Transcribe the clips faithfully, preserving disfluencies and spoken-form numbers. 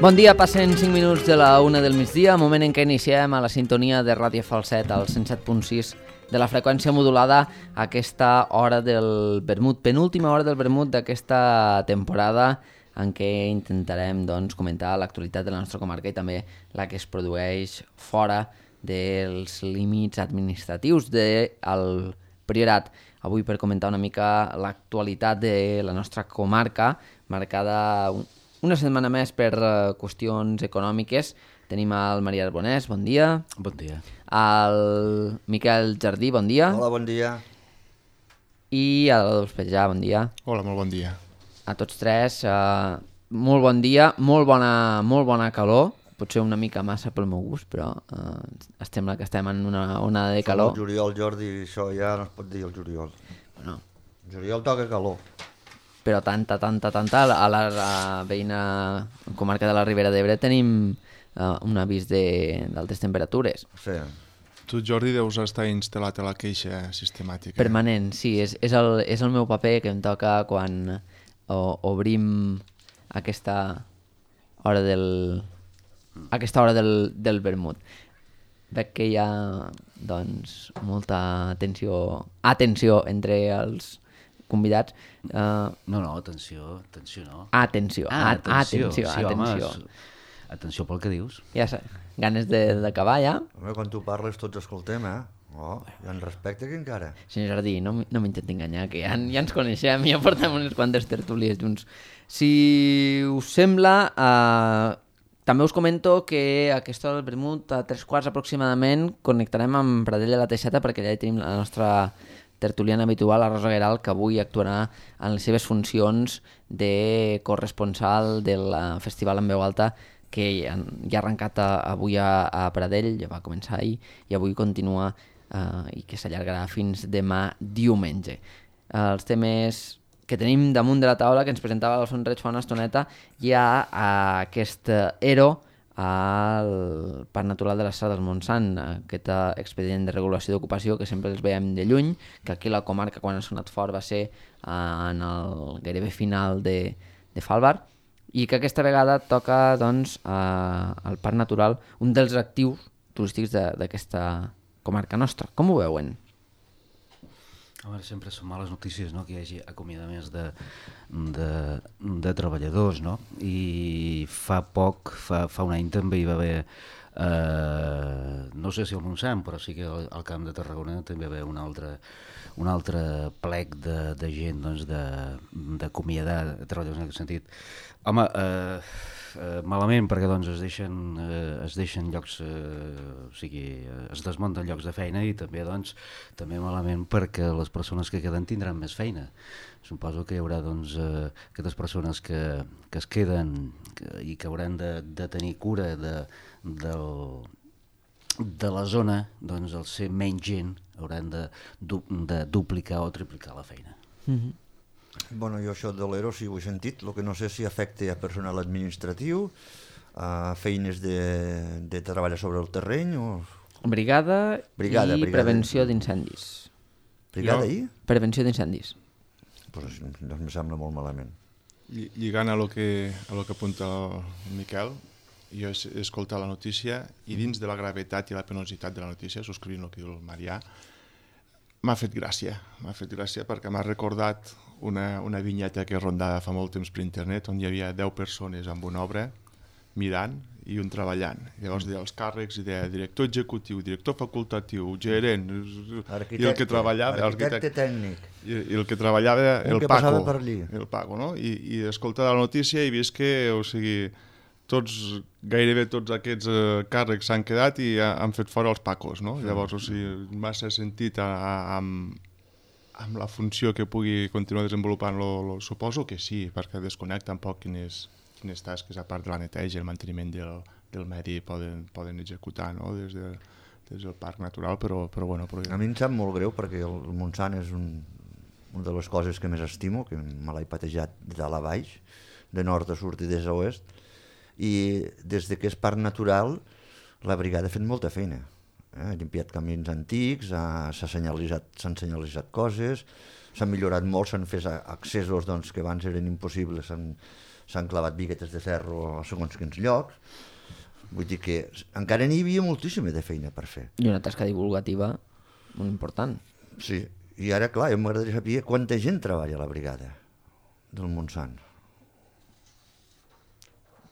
Bon dia, passen cinc minuts de la una del migdia, moment en què iniciem a la sintonia de Ràdio Falset, al cent set punt sis de la freqüència modulada, a aquesta hora del vermut, penúltima hora del vermut d'aquesta temporada, en què intentarem doncs, comentar l'actualitat de la nostra comarca i també la que es produeix fora dels límits administratius del Priorat. Avui per comentar una mica l'actualitat de la nostra comarca, marcada una setmana més per uh, qüestions econòmiques. Tenim el Maria Arbonès, bon dia. Bon dia. El Miquel Jardí, bon dia. Hola, bon dia. I l'Adolf Petjà, bon dia. Hola, molt bon dia. A tots tres, uh, molt bon dia, molt bona, molt bona calor, potser una mica massa pel meu gust, però uh, es sembla que estem en una onada de calor. El juliol, Jordi, això ja no es pot dir el juliol. Bueno. El juliol toca calor. Però tanta, tanta, tanta, a la, a la veïna comarca de la Ribera d'Ebre tenim uh, un avís d'altes temperatures. Sí. Tu, Jordi, deus estar instal·lat a la queixa sistemàtica. Permanent, sí, és, és, el, és el meu paper que em toca quan o, obrim aquesta hora del, aquesta hora del, del vermut. Veig que hi ha doncs, molta atenció, atenció entre els convidats. Uh, no, no, atenció, atenció no. Atenció, ah, atenció, atenció, sí, atenció. Home, atenció pel que dius. Ja sé, ganes d'acabar ja. Home, quan tu parles tots escoltem, eh? Oh, hi ha un respecte aquí encara. Senyor Jardí, no, no m'intenti enganyar, que ja, ja ens coneixem, ja portem unes quantes tertúlies junts. Si us sembla, uh, també us comento que a aquesta hora del vermut, a tres quarts aproximadament, connectarem amb Pradell de la Teixeta, perquè allà hi tenim la nostra tertuliana habitual, la Rosa Gueralt, que avui actuarà en les seves funcions de corresponsal del Festival en Veu Alta, que ja ha arrencat a, avui a, a Pradell, ja va començar ahir, i avui continua eh, i que s'allargarà fins demà diumenge. Eh, els temes que tenim damunt de la taula, que ens presentava l'Alfons Reig fa una estoneta, hi ha eh, aquest ERO al Parc Natural de la Serra del Montsant, aquest expedient de regulació d'ocupació que sempre els veiem de lluny, que aquí la comarca, quan ha sonat fort, va ser eh, en el gairebé final de, de Falvar, i que aquesta vegada toca doncs, eh, al Parc Natural, un dels actius turístics d'aquesta comarca nostra. Com ho veuen? A veure, sempre són males notícies, no?, que hi hagi acomiadaments de, de, de treballadors, no? I fa poc, fa, fa un any també hi va haver, eh, no sé si al Montsant, però sí que al, al Camp de Tarragona també hi va haver un altre, un altre plec de, de gent doncs, d'acomiadar treballadors en aquest sentit. Home, eh, eh, malament perquè doncs, es, deixen, eh, es deixen llocs, eh, o sigui, eh, es desmunten llocs de feina i també, doncs, també malament perquè les persones que queden tindran més feina. Suposo que hi haurà doncs, eh, aquestes persones que, que es queden que, i que hauran de, de tenir cura de, del, de la zona, doncs, al ser menys gent hauran de, de duplicar o triplicar la feina. Mm-hmm. Bueno, jo això de l'ERO sí ho he sentit, el que no sé si afecta a personal administratiu, a feines de, de treballar sobre el terreny o... Brigada, brigada i brigada. Prevenció d'incendis. Brigada jo... i? Prevenció d'incendis. Pues, doncs em sembla molt malament. Lligant a lo que, a lo que apunta el Miquel, jo he escoltat la notícia i dins de la gravetat i la penositat de la notícia, subscrivint el que diu el Marià, m'ha fet gràcia, m'ha fet gràcia perquè m'ha recordat una, una vinyeta que rondava fa molt temps per internet on hi havia deu persones amb una obra mirant i un treballant. Llavors deia els càrrecs i deia director executiu, director facultatiu, gerent, i el que treballava... Arquitecte tècnic. I, i el que treballava un el que Paco. Per allí. El Paco, no? I, i escolta la notícia i vist que, o sigui, tots, gairebé tots aquests eh, càrrecs s'han quedat i ha, han fet fora els Pacos, no? Mm. Llavors, o sigui, massa sentit a, a, amb, amb la funció que pugui continuar desenvolupant, lo, lo, suposo que sí, perquè desconnecta un poc quines, quines tasques, a part de la neteja i el manteniment del, del medi, poden, poden executar, no? Des, de, des del parc natural, però, però bueno... Però... A mi em sap molt greu perquè el Montsant és un, una de les coses que més estimo, que me l'he patejat de dalt a baix, de nord a sud i des a oest, i des de que és parc natural la brigada ha fet molta feina. Eh? Ha limpiat camins antics, ha, s'ha senyalitzat, s'han senyalitzat coses, s'han millorat molt, s'han fet accessos doncs, que abans eren impossibles, s'han, s'han clavat biguetes de ferro a segons quins llocs. Vull dir que encara n'hi havia moltíssima de feina per fer. I una tasca divulgativa molt important. Sí, i ara, clar, jo m'agradaria saber quanta gent treballa a la brigada del Montsant.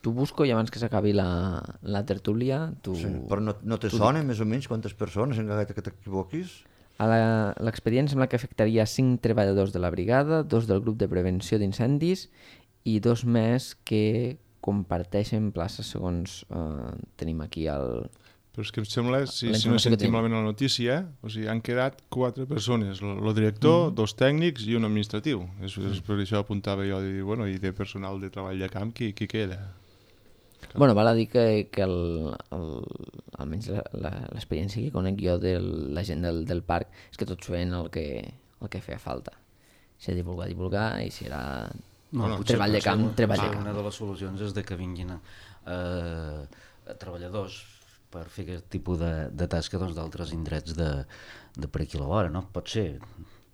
Tu busco i abans que s'acabi la, la tertúlia... Tu... Sí, però no, no te sona més o menys quantes persones, encara que t'equivoquis? A la- l'expedient sembla que afectaria cinc treballadors de la brigada, dos del grup de prevenció d'incendis i dos més que comparteixen places segons eh, tenim aquí el... Però és que em sembla, si, La si no he informació que sentit tenim. malament la notícia, o sigui, han quedat quatre persones, el director, dos tècnics i un administratiu. És, és per això apuntava jo, de dir, bueno, i de personal de treball de camp, qui, qui queda? Bueno, val a dir que, que el, el, almenys la- la- l'experiència que conec jo de la gent del, del parc és que tots feien el que, el que feia falta. Si era divulgar, divulgar, i si era No, potser- treball de camp, potser treball de una camp. de les solucions és de que vinguin eh, treballadors per fer aquest tipus de, de tasca doncs, d'altres indrets de, de per aquí a la vora, no? Pot ser,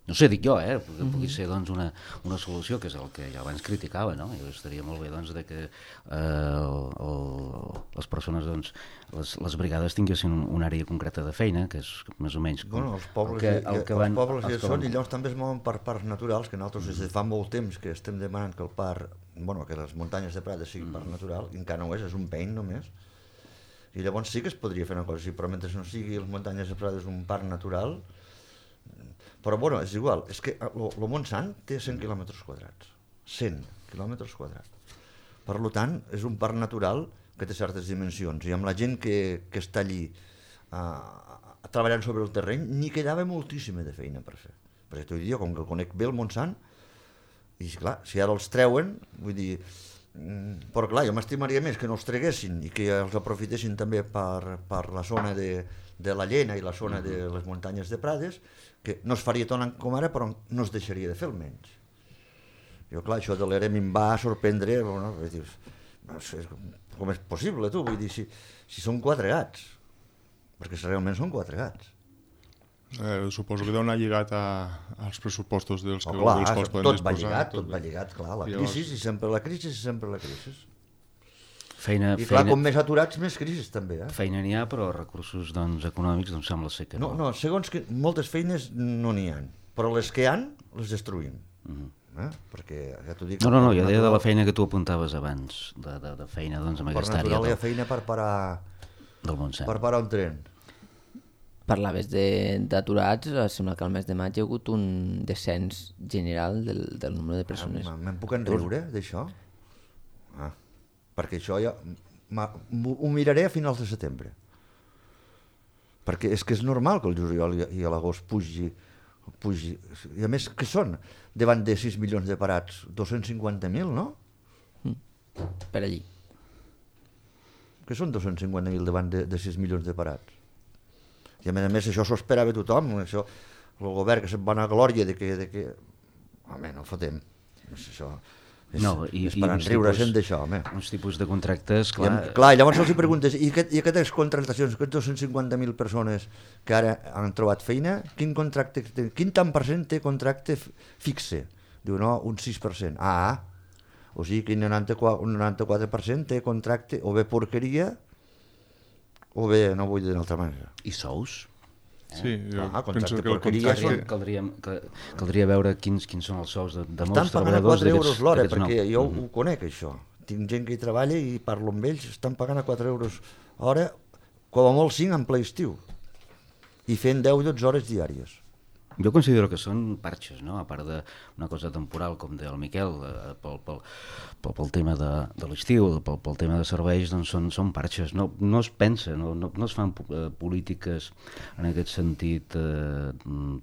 no sé, dic jo, eh? Que pugui ser doncs, una, una solució, que és el que jo abans criticava, no? I estaria molt bé doncs, de que eh, el, el, les persones, doncs, les, les brigades tinguessin un, una àrea concreta de feina, que és més o menys... Com, Bueno, els pobles, el que, el el que els van, pobles els ja que són van- i llavors també es mouen per parcs naturals, que nosaltres des de fa molt temps que estem demanant que el parc, bueno, que les muntanyes de Prada siguin parc natural, i encara no ho és, és un pein només. I llavors sí que es podria fer una cosa així, però mentre no sigui les muntanyes de Prada és un parc natural. Però bueno, és igual, és que el Montsant té cent quilòmetres quadrats, cent quilòmetres quadrats. Per tant, és un parc natural que té certes dimensions, i amb la gent que, que està allí uh, treballant sobre el terreny, n'hi quedava moltíssima de feina per fer. Perquè t'ho dic jo, com que el conec bé el Montsant, i clar, si ara els treuen, vull dir... mm, Però clar, jo m'estimaria més que no els treguessin i que els aprofitessin també per, per la zona de, de la Llena i la zona de les muntanyes de Prades, que no es faria tant com ara, però no es deixaria de fer almenys. Jo, clar, això de l'Erem em va sorprendre, bueno, dius, no sé, com és possible, tu? Vull dir, si, si són quatre gats, perquè si realment són quatre gats. Eh, suposo que deu anar lligat a, als pressupostos dels, Oh, que, clar, dels quals poden tot va disposar. lligat, tot va lligat, clar, la Llavors- crisi, i sempre la crisi, i sempre la crisi. Feina, I clar, feina, com més aturats, més crisis també, eh? feina n'hi ha, però recursos doncs, econòmics doncs, sembla ser que no. No, no, segons que moltes feines no n'hi ha, però les que hi han, les destruïm. Mhm. Eh? Perquè, ja t'ho dic... No, no, no, per jo deia de la natural- feina que tu apuntaves abans, de, de, de feina doncs, amb Per aquesta àrea natural hi ha del, feina per parar, del Montsant. per parar un tren. Parlaves de- d'aturats, eh, sembla que al mes de maig hi ha hagut un descens general del, del nombre de persones. Ah, Me'n puc enriure d'això? Ah, perquè això ja... ma- m'ho- Ho miraré a finals de setembre. Perquè és que és normal que el juliol i i a l'agost pugi, pugi. I a més, què són? Davant de sis milions de parats, dos-cents cinquanta mil, no? Per allí. Què són dos-cents cinquanta mil davant de, de sis milions de parats? I a més a més això s'ho esperava tothom, això, el govern que se'n va anar a glòria de que... De que... Home, no fotem. És això... És, No, i- és i per uns enriure-se'n tipus- d'això, home. Uns tipus de contractes, Clar, clar... I, clar, i llavors els hi preguntes, i, aquest, i aquestes contractacions, aquests dos-cents cinquanta mil persones que ara han trobat feina, quin contracte, té- quin tant per cent té contracte f- fixe? Diu, no, un sis per cent. Ah, o sigui que un noranta-quatre, un noranta-quatre per cent té contracte o bé porqueria o bé, no vull dir d'una altra manera. I sous? Sí, jo Ah, penso contracte que el porqueria contracte... Caldria, caldria, caldria veure quins, quins són els sous de, de Estan molts pagant a treballadors quatre euros l'hora, d'aquests perquè nous. jo Mhm. ho conec, això. Tinc gent que hi treballa i parlo amb ells, estan pagant a quatre euros hora, com a molt cinc en ple estiu, i fent deu o dotze hores diàries. Jo considero que són parxes, no? A part d'una cosa temporal, com deia el Miquel, eh, pel, pel, pel, pel tema de, de l'estiu, pel, pel tema de serveis, doncs són, són parxes. No, no es pensa, no, no, no es fan eh, polítiques en aquest sentit eh,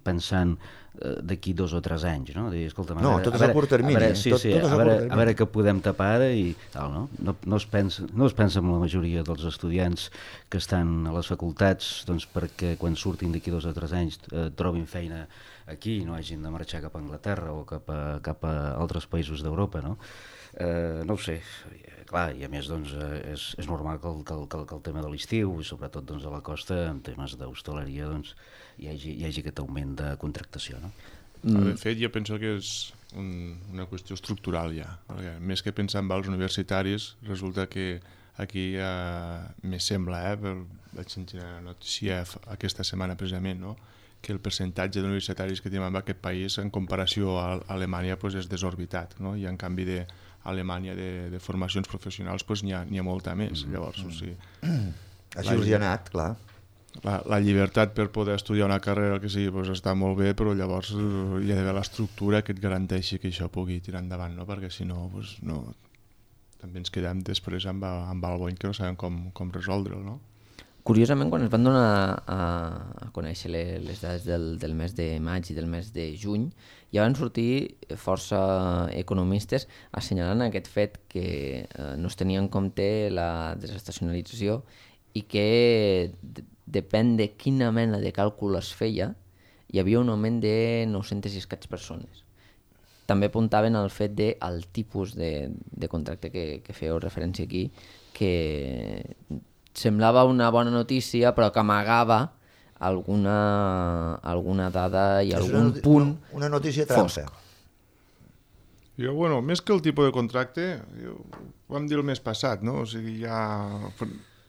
pensant eh, d'aquí dos o tres anys, no? Dir, escolta, No, tot és a curt termini, A veure, eh? sí, Tot- sí, tot és a a, curt veure, termini. a veure què podem tapar ara i tal, no? No, no, es pensa, no es pensa en la majoria dels estudiants que estan a les facultats doncs perquè quan surtin d'aquí dos o tres anys eh, trobin feina aquí i no hagin de marxar cap a Anglaterra o cap a, cap a altres països d'Europa, no? Eh, no ho sé, eh, clar, i a més doncs, eh, és, és normal que el, que, el, que, el, que el tema de l'estiu i sobretot doncs, a la costa en temes d'hostaleria doncs, hi, hagi, hi hagi aquest augment de contractació, no? Mm. De fet, jo penso que és, un, una qüestió estructural ja. Perquè més que pensar en els universitaris, resulta que aquí eh, me sembla, eh, per, vaig sentir una notícia aquesta setmana precisament, no? Que el percentatge d'universitaris que tenim en aquest país en comparació a Alemanya pues, és desorbitat, no? I en canvi de Alemanya de, de formacions professionals pues, n'hi ha, n'hi ha molta més. Mm. Llavors, o sigui, Així us hi ha anat, clar. La, la llibertat per poder estudiar una carrera que sigui pues, està molt bé, però llavors hi ha d'haver l'estructura que et garanteixi que això pugui tirar endavant, no? Perquè si no, pues, no també ens quedem després amb, amb el bony que no sabem com, com resoldre'l, no? Curiosament, quan es van donar a, a conèixer les, les dades del, del mes de maig i del mes de juny, ja van sortir força economistes assenyalant aquest fet que eh, no es tenia en compte la desestacionalització i que de, depèn de quina mena de càlcul es feia, hi havia un augment de nou-centes i escaig persones. També apuntaven al fet del tipus de, de contracte que, que fèieu referència aquí, que semblava una bona notícia però que amagava alguna, alguna dada i És algun una, punt una, una notícia trampa. Jo, bueno, més que el tipus de contracte, jo, ho vam dir el mes passat, no? O sigui, ja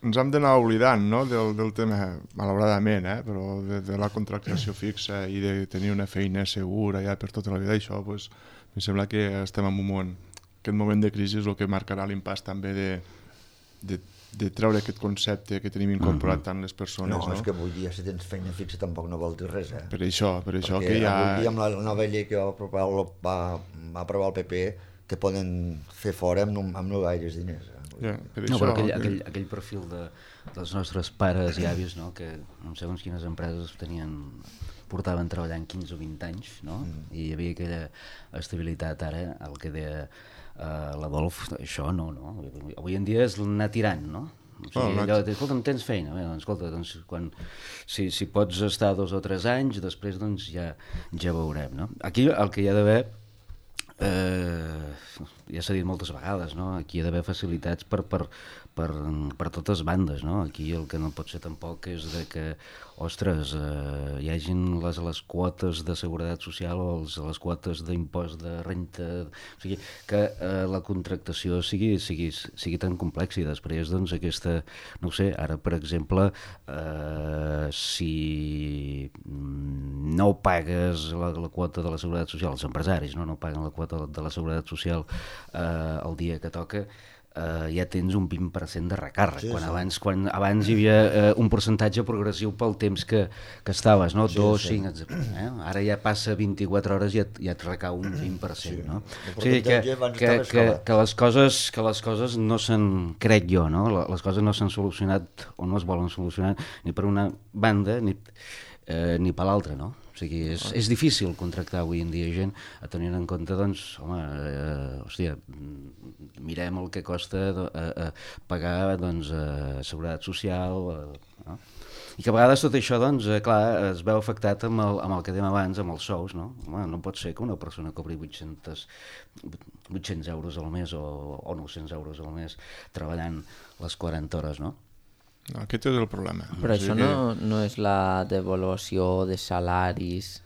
ens hem d'anar oblidant, no? del, del tema, malauradament, eh? Però de, de la contractació fixa i de tenir una feina segura ja per tota la vida, això, pues, em sembla que estem en un moment, aquest moment de crisi és el que marcarà l'impàs també de, de de treure aquest concepte que tenim incorporat tant les persones. No, no, és que avui dia si tens feina fixa tampoc no vol dir res, eh? Per això, per això Perquè que ja... avui dia amb la nova llei que va aprovar el, va, va aprovar el P P te poden fer fora amb no, amb no gaires diners. Eh? Ja, per No, això, però aquell, que... aquell, aquell perfil de, dels nostres pares i avis, no? Que no sé segons quines empreses tenien, portaven treballant quinze o vint anys, no? Mm. I hi havia aquella estabilitat. Ara, el que deia uh, l'Adolf, això no, no. Avui en dia és anar tirant, no? O sigui, allò, escolta, tens feina? Bé, doncs, escolta, doncs, quan, si, si pots estar dos o tres anys, després doncs, ja, ja veurem. No? Aquí el que hi ha d'haver, eh, ja s'ha dit moltes vegades, no? Aquí hi ha d'haver facilitats per, per, per, per totes bandes. No? Aquí el que no pot ser tampoc és de que, ostres, eh, hi hagin les, les quotes de seguretat social o els, les quotes d'impost de renta, o sigui, que eh, la contractació sigui, sigui, sigui tan complexa i després doncs aquesta, no ho sé, ara per exemple, eh, si no pagues la, la quota de la seguretat social, els empresaris no, no paguen la quota de la seguretat social eh, el dia que toca, Uh, ja tens un vint per cent de recàrrec, sí, quan, sí. Abans, quan abans hi havia uh, un percentatge progressiu pel temps que, que estaves, no? Sí, dos, sí. cinc, etcètera. Eh? Ara ja passa vint-i-quatre hores i ja, ja et recau un vint per cent. Sí. No? O sigui que, que, que, que, les coses, que les coses no s'han, crec jo, no? Les coses no s'han solucionat o no es volen solucionar ni per una banda ni, eh, ni per l'altra, no? O sigui, és, és difícil contractar avui en dia gent a tenir en compte, doncs, home, eh, hòstia, mirem el que costa eh, eh, pagar, doncs, eh, seguretat social, eh, no? I que a vegades tot això, doncs, eh, clar, es veu afectat amb el, amb el que dèiem abans, amb els sous, no? Home, no pot ser que una persona cobri vuit-cents euros al mes o, o nou-cents euros al mes treballant les quaranta hores, no? No, aquest és el problema. Però o sigui això no, que... no és la devaluació de salaris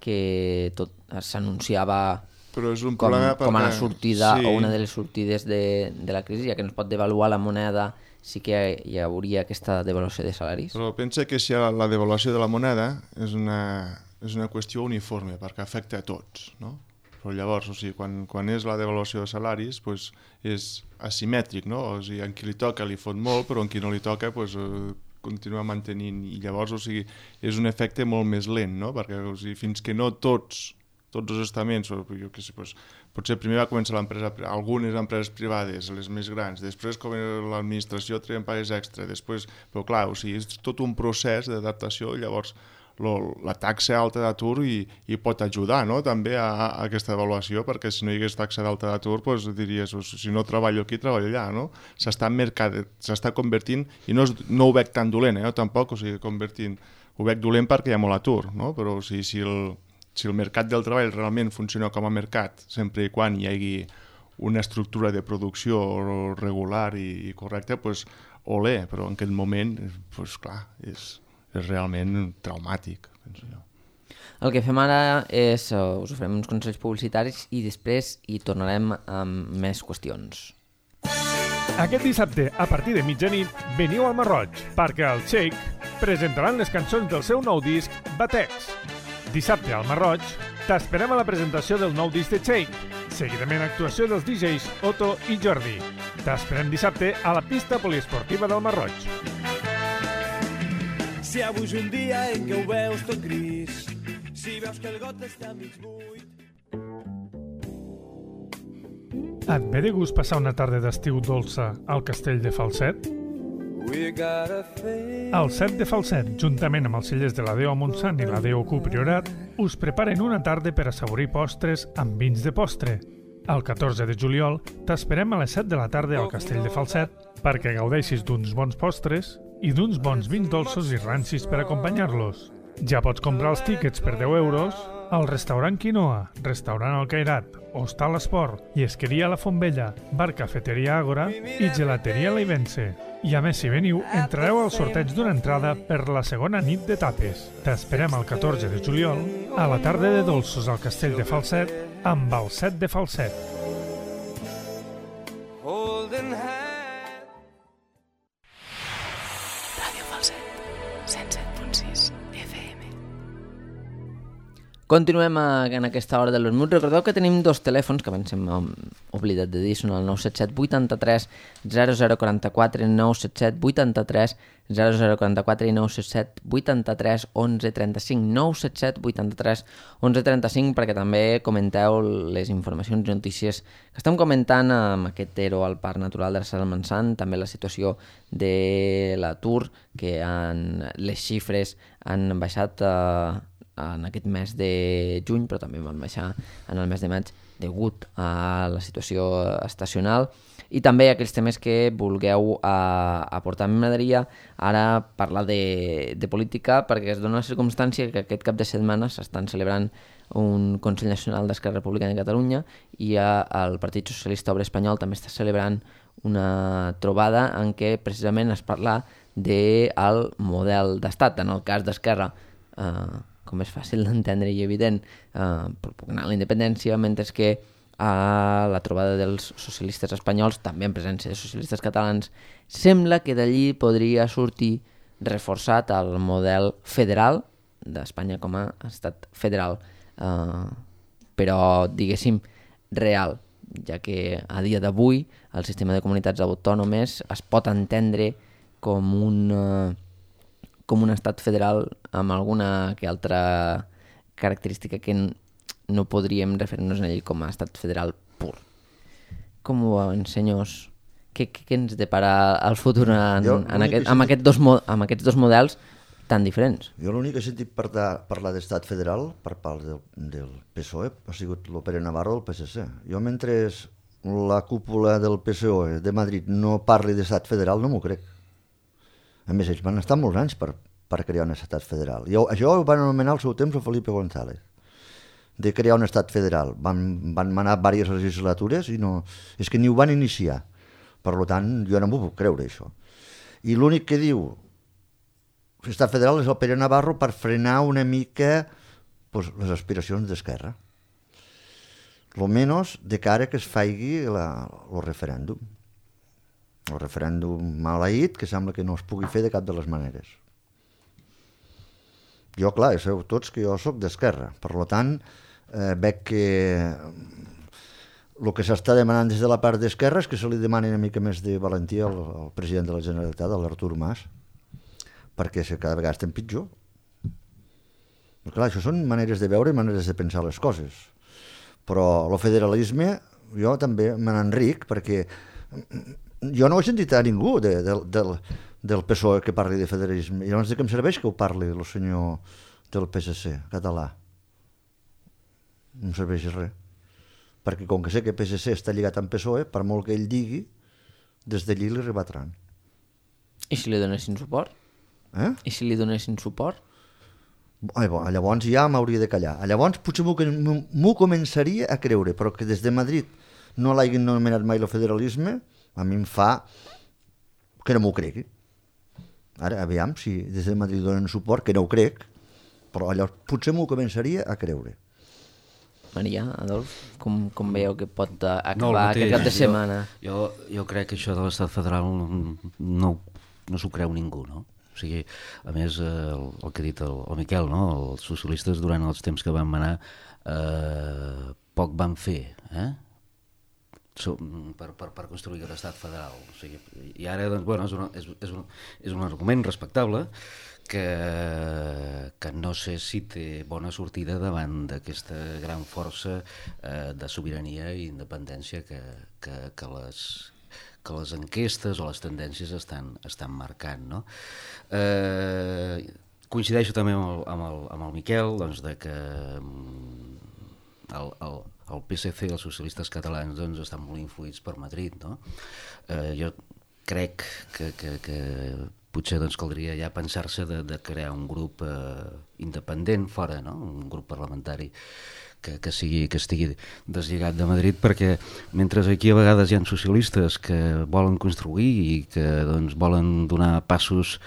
que tot s'anunciava Però és un com, problema com a la sortida sí. o una de les sortides de, de la crisi, ja que no es pot devaluar la moneda, sí que hi hauria aquesta devaluació de salaris. Però pensa que si la devaluació de la moneda és una, és una qüestió uniforme perquè afecta a tots, no? Però llavors, o sigui, quan, quan és la devaluació de salaris, pues, és asimètric, no? O sigui, en qui li toca li fot molt, però en qui no li toca pues, eh, continua mantenint. I llavors, o sigui, és un efecte molt més lent, no? Perquè o sigui, fins que no tots, tots els estaments, o, jo què sé, pues, potser primer va començar l'empresa, algunes empreses privades, les més grans, després com l'administració treien pagues extra, després, però clar, o sigui, és tot un procés d'adaptació, llavors lo, la taxa alta d'atur i, i pot ajudar, no? També a, a aquesta avaluació, perquè si no hi hagués taxa d'alta d'atur pues, diries, si no treballo aquí, treballo allà, no? S'està s'està convertint, i no, és, no ho veig tan dolent, eh? Tampoc, o sigui, convertint, ho veig dolent perquè hi ha molt atur, no? Però o sigui, si, el, si el mercat del treball realment funciona com a mercat, sempre i quan hi hagi una estructura de producció regular i, i correcta, pues, olé, però en aquest moment, pues, clar, és... és realment traumàtic, penso jo. El que fem ara és, uh, us oferim uns consells publicitaris i després hi tornarem amb més qüestions. Aquest dissabte, a partir de mitjanit, veniu al Marroig, perquè al Shake presentaran les cançons del seu nou disc, Batex. Dissabte al Marroig, t'esperem a la presentació del nou disc de Shake. Seguidament actuació dels D Js Otto i Jordi. T'esperem dissabte a la pista poliesportiva del Marroig. Si avui és un dia en què ho veus tot gris, si veus que el got està mig buit... Et ve de gust passar una tarda d'estiu dolça al castell de Falset? El Set de Falset, juntament amb els cellers de la Déu a Montsant i la Déu Q Priorat, us preparen una tarda per assaborir postres amb vins de postre. El catorze de juliol t'esperem a les set de la tarda al castell de Falset perquè gaudeixis d'uns bons postres i d'uns bons vins dolços i rancis per acompanyar-los. Ja pots comprar els tíquets per deu euros al restaurant Quinoa, restaurant El Cairat, Hostal Esport, Llesqueria La Fontvella, Bar Cafeteria Àgora i Gelateria Leivense. I a més, si veniu, entrareu al sorteig d'una entrada per la segona nit de tapes. T'esperem el catorze de juliol a la tarda de dolços al castell de Falset amb el Set de Falset. Ràdio Falset, cent set punt sis F M. Continuem a, en aquesta hora del vermut. Recordeu que tenim dos telèfons, que abans hem oblidat de dir, són el nou set set vuitanta-tres zero zero quaranta-quatre, nou set set vuitanta-tres zero zero quaranta-quatre i nou set set vuitanta-tres onze trenta-cinc, nou set set vuitanta-tres onze trenta-cinc, perquè també comenteu les informacions i notícies que estem comentant amb aquest E R O al Parc Natural de la Serra del Montsant, també la situació de l'atur, que han, les xifres han baixat a eh, en aquest mes de juny, però també van baixar en el mes de maig degut a la situació estacional, i també aquells temes que vulgueu a, aportar. A mi m'agradaria ara parlar de, de política, perquè es dona la circumstància que aquest cap de setmana s'estan celebrant un Consell Nacional d'Esquerra Republicana de Catalunya i el Partit Socialista Obrer Espanyol també està celebrant una trobada en què precisament es parla del model d'estat. En el cas d'Esquerra, eh, com és fàcil d'entendre i evident, eh, propugnar la independència, mentre que a la trobada dels socialistes espanyols, també en presència de socialistes catalans, sembla que d'allí podria sortir reforçat el model federal d'Espanya com a estat federal, eh, però, diguéssim, real, ja que a dia d'avui el sistema de comunitats autònomes es pot entendre com un... Eh, com un estat federal amb alguna que altra característica que no podríem referir-nos a ell com a estat federal pur. Com ho veuen, senyors? Què, què ens depara el futur en, jo, en aquest, amb, aquest dos, amb aquests dos models tan diferents? Jo l'únic que he sentit parlar, parlar d'estat federal per part del, del P S O E ha sigut el Pere Navarro del P S C. Jo, mentre la cúpula del P S O E de Madrid no parli d'estat federal, no m'ho crec. A més, ells van estar molts anys per, per crear un estat federal. I això ho van anomenar al seu temps el Felipe González, de crear un estat federal. Van, van manar diverses legislatures i no, és que ni ho van iniciar. Per tant, jo no m'ho puc creure, això. I l'únic que diu l'estat federal és el Pere Navarro per frenar una mica pues, les aspiracions d'Esquerra. Lo menys de cara que es faci el referèndum. El referèndum maleït, que sembla que no es pugui fer de cap de les maneres. Jo, clar, sabeu tots que jo sóc d'Esquerra, per tant, eh, veig que el que s'està demanant des de la part d'Esquerra és que se li demani una mica més de valentia al, al president de la Generalitat, a l'Artur Mas, perquè cada vegada estem pitjor. Però, clar, això són maneres de veure i maneres de pensar les coses. Però el federalisme, jo també me n'enric, perquè jo no he sentit a ningú de, de, del, del P S O E que parli de federalisme. I llavors de què em serveix que ho parli el senyor del P S C català? No em serveix res. Perquè com que sé que P S C està lligat amb P S O E, per molt que ell digui, des d'allí li rebatran. I si li donessin suport? Eh? I si li donessin suport? Ai, bo, llavors ja m'hauria de callar. Llavors potser m'ho començaria a creure, però que des de Madrid no l'hagin anomenat mai el federalisme, a mi em fa que no m'ho cregui. Ara, aviam, si des de Madrid donen suport, que no ho crec, però llavors potser m'ho començaria a creure. Maria, Adolf, com, com veieu que pot uh, acabar No, aquest cap de setmana? Jo, jo, jo crec que això de l'estat federal no, no, no s'ho creu ningú, no? O sigui, a més, eh, el, el que ha dit el, el Miquel, no? Els socialistes durant els temps que van manar eh, poc van fer, eh? So, per, per, per construir aquest estat federal. O sigui, i ara, doncs, bueno, és, una, és, és, un, és un argument respectable que, que no sé si té bona sortida davant d'aquesta gran força eh, de sobirania i independència que, que, que, les, que les enquestes o les tendències estan, estan marcant, no? Eh, coincideixo també amb el, amb el, amb el Miquel, doncs, de que el, el, el P S C i els socialistes catalans doncs, estan molt influïts per Madrid, no? Eh, jo crec que, que, que potser doncs, caldria ja pensar-se de, de crear un grup eh, independent fora, no? Un grup parlamentari que, que, sigui, que estigui deslligat de Madrid, perquè mentre aquí a vegades hi ha socialistes que volen construir i que doncs, volen donar passos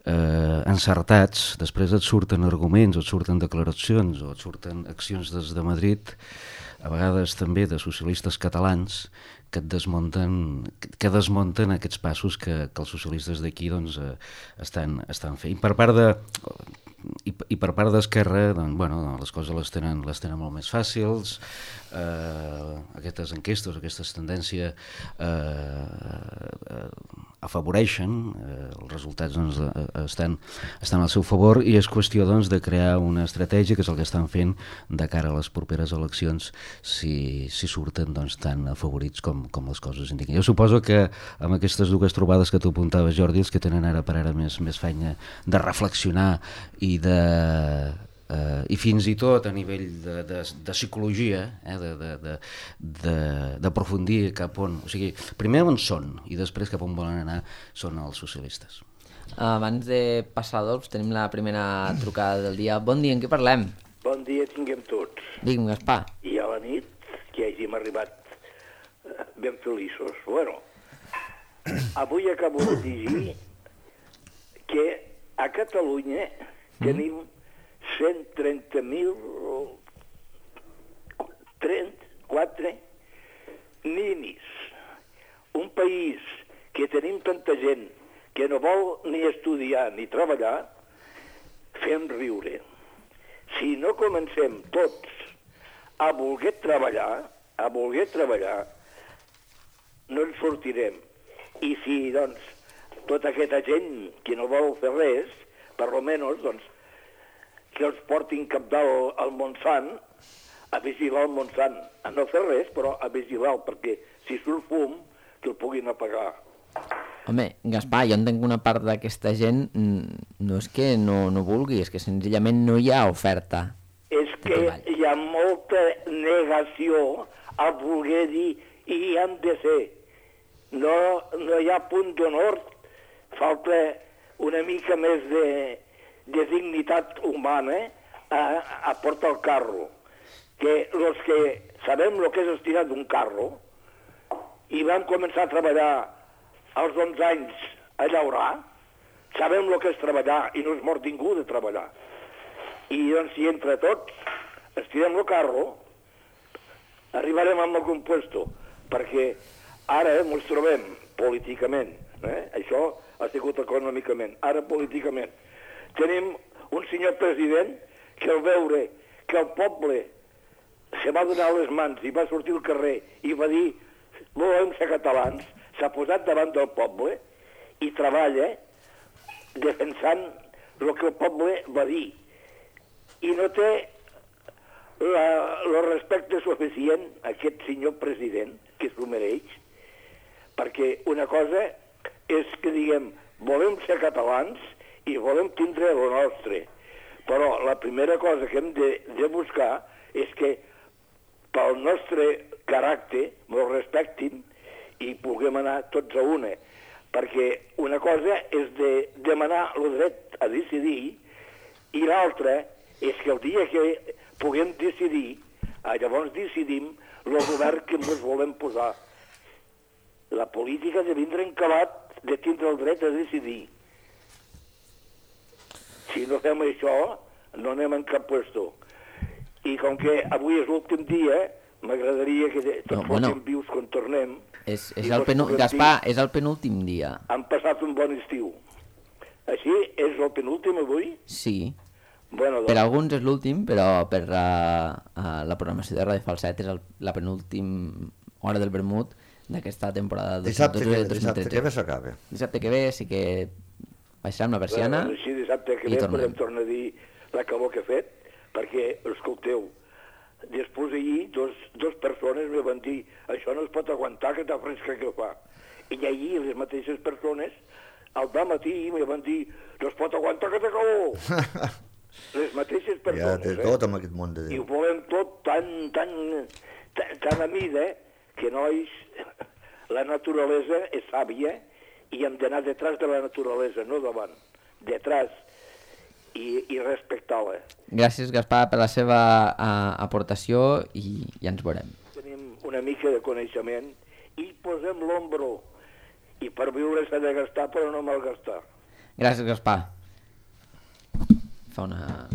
eh, encertats, després et surten arguments, et surten declaracions o et surten accions des de Madrid, a vegades també de socialistes catalans, que et desmunten, que desmunten aquests passos que, que els socialistes d'aquí doncs, eh, estan, estan fent. I per part de, i, i per part d'Esquerra, doncs, bueno, les coses les tenen, les tenen molt més fàcils, eh, aquestes enquestes, aquestes tendències eh, eh, afavoreixen, eh, els resultats doncs, estan, estan al seu favor i és qüestió doncs, de crear una estratègia, que és el que estan fent de cara a les properes eleccions, si, si surten doncs, tan afavorits com, com les coses indiquen. Jo suposo que amb aquestes dues trobades que tu apuntaves, Jordi, els que tenen ara per ara més, més feina de reflexionar i de... Uh, i fins i tot a nivell de, de, de psicologia, eh, d'aprofundir cap on... O sigui, primer on són i després cap on volen anar són els socialistes. Abans de passar, Adolf, tenim la primera trucada del dia. Bon dia, en què parlem? Bon dia tinguem tots. Digue'm, Gaspar. I a la nit que hàgim arribat ben feliços. Bueno, avui acabo de dir que a Catalunya tenim cent trenta mil trenta-quatre ninis. Un país que tenim tanta gent que no vol ni estudiar ni treballar, fem riure. Si no comencem tots a voler treballar, a voler treballar, no ens sortirem. I si, doncs, tota aquesta gent que no vol fer res, per lo menos, doncs, que els portin cap dalt al Montsant, a vigilar el Montsant. A no fer res, però a vigilar, perquè si surt fum, que el puguin apagar. Home, Gaspar, jo entenc que una part d'aquesta gent no és que no, no vulgui, és que senzillament no hi ha oferta. És que hi ha molta negació a voler dir i hi han de ser. No, no hi ha punt d'honor, falta una mica més de... de dignitat humana a, a portar el carro. Que els que sabem el que és estirar d'un carro i vam començar a treballar als onze anys a llaurar, sabem el que és treballar i no és mort ningú de treballar. I doncs si entre tots estirem el carro, arribarem amb algun puesto, perquè ara ens trobem políticament, eh? Això ha sigut econòmicament, ara políticament. Tenim un senyor president que al veure que el poble se va donar les mans i va sortir al carrer i va dir volem ser catalans, s'ha posat davant del poble i treballa defensant el que el poble va dir. I no té el respecte suficient a aquest senyor president, que s'ho mereix, perquè una cosa és que diguem volem ser catalans i volem tindre el nostre. Però la primera cosa que hem de, de buscar és que pel nostre caràcter ens respectin i puguem anar tots a una. Perquè una cosa és de demanar el dret a decidir i l'altra és que el dia que puguem decidir, llavors decidim el govern que ens volem posar. La política de vindre encabat de tindre el dret a decidir. Si no fem això, no anem en cap puesto. I com que avui és l'últim dia, m'agradaria que tots no, bueno, fóssim vius quan tornem. És, és el penu... Gaspar, és el penúltim dia. Han passat un bon estiu. Així, és el penúltim avui? Sí. Bueno, doncs... Per alguns és l'últim, però per la, la programació de Ràdio Falset és el, la penúltim hora del vermut d'aquesta temporada dos mil dotze. Dissabte, dissabte que ve s'acaba. Dissabte que ve sí que baixarem la persiana. Bueno, sí, dissabte que ve podem tornar a dir la calor que ha fet, perquè, escolteu, després ahir dos, dos persones me van dir això no es pot aguantar, que tan fresca que fa. I ahir les mateixes persones al matí me van dir no es pot aguantar, que té calor. Les mateixes persones, ja té tot amb aquest món de Déu. I ho volem tot tan, tan, tan, tan a mida, que nois, la naturalesa és sàvia i hem d'anar detrás de la naturalesa, no davant, detrás, i, i respectar-la. Gràcies, Gaspar, per la seva uh, aportació i ja ens veurem. Tenim una mica de coneixement i posem l'ombro, i per viure s'ha de gastar però no malgastar. Gràcies, Gaspar. Fa una...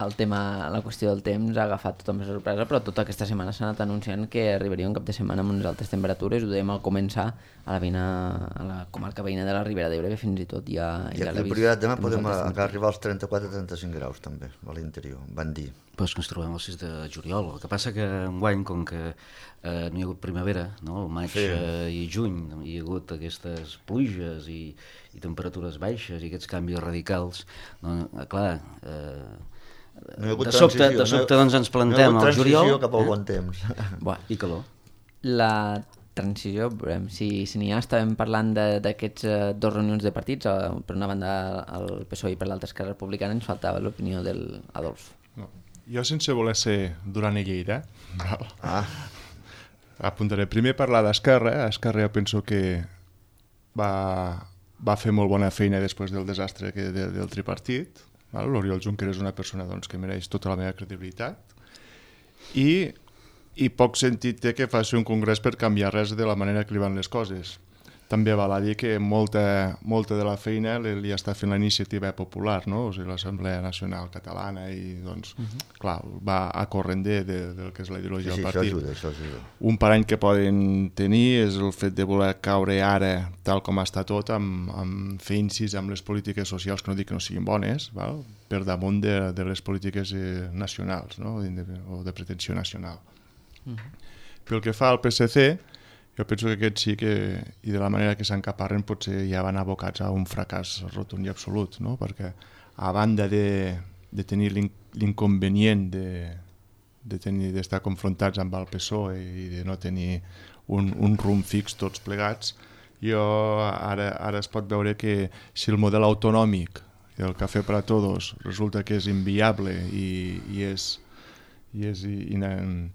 El tema, la qüestió del temps ha agafat tothom per sorpresa, però tota aquesta setmana s'ha anat anunciant que arribaria un cap de setmana amb unes altes temperatures. Ho dèiem al començar a la, veïna, a la comarca veïna de la Ribera d'Ebre, que fins i tot ja... I ja aquí al Priorat demà podem arribar als trenta-quatre a trenta-cinc graus també, a l'interior, van dir. Pues que ens trobem el sis de juliol. El que passa que enguany, com que eh, no hi ha hagut primavera, no? El maig sí. eh, i juny, hi ha hagut aquestes pluges i, i temperatures baixes i aquests canvis radicals, no, clar... Eh, no de sobte, de sobte no, doncs ens plantem no al juliol... No cap al bon temps. Buah. I calor. La transició, veurem, si, si n'hi ha, estàvem parlant d'aquests uh, dos reunions de partits, uh, per una banda el P S O E i per l'altra Esquerra Republicana, ens faltava l'opinió del Adolf. No. Jo, sense voler ser Duran i Lleida, ah. apuntaré primer parlar d'Esquerra. Esquerra jo penso que va, va fer molt bona feina després del desastre que, de, del tripartit. L'Oriol Junqueras és una persona doncs, que mereix tota la meva credibilitat i, i poc sentit té que faci un congrés per canviar res de la manera que li van les coses. També val a dir que molta, molta de la feina li, li està fent la iniciativa popular, no? O sigui, l'Assemblea Nacional Catalana i doncs, uh -huh. clar, va a corrender de, del que és la ideologia sí, del sí, partit. Això ajuda, això ajuda. Un parany que poden tenir és el fet de voler caure ara, tal com està tot, amb, amb fer incís amb les polítiques socials, que no dic que no siguin bones, val? Per damunt de, de les polítiques eh, nacionals, no? de, o de pretensió nacional. Uh -huh. Pel que fa al P S C, jo penso que aquest sí que, i de la manera que s'encaparren, potser ja van abocats a un fracàs rotund i absolut, no? Perquè a banda de, de tenir l'inconvenient de, de tenir d'estar confrontats amb el P S O E i de no tenir un, un rumb fix tots plegats, jo ara, ara es pot veure que si el model autonòmic, el cafè per a tots, resulta que és inviable i, i és, i és ina,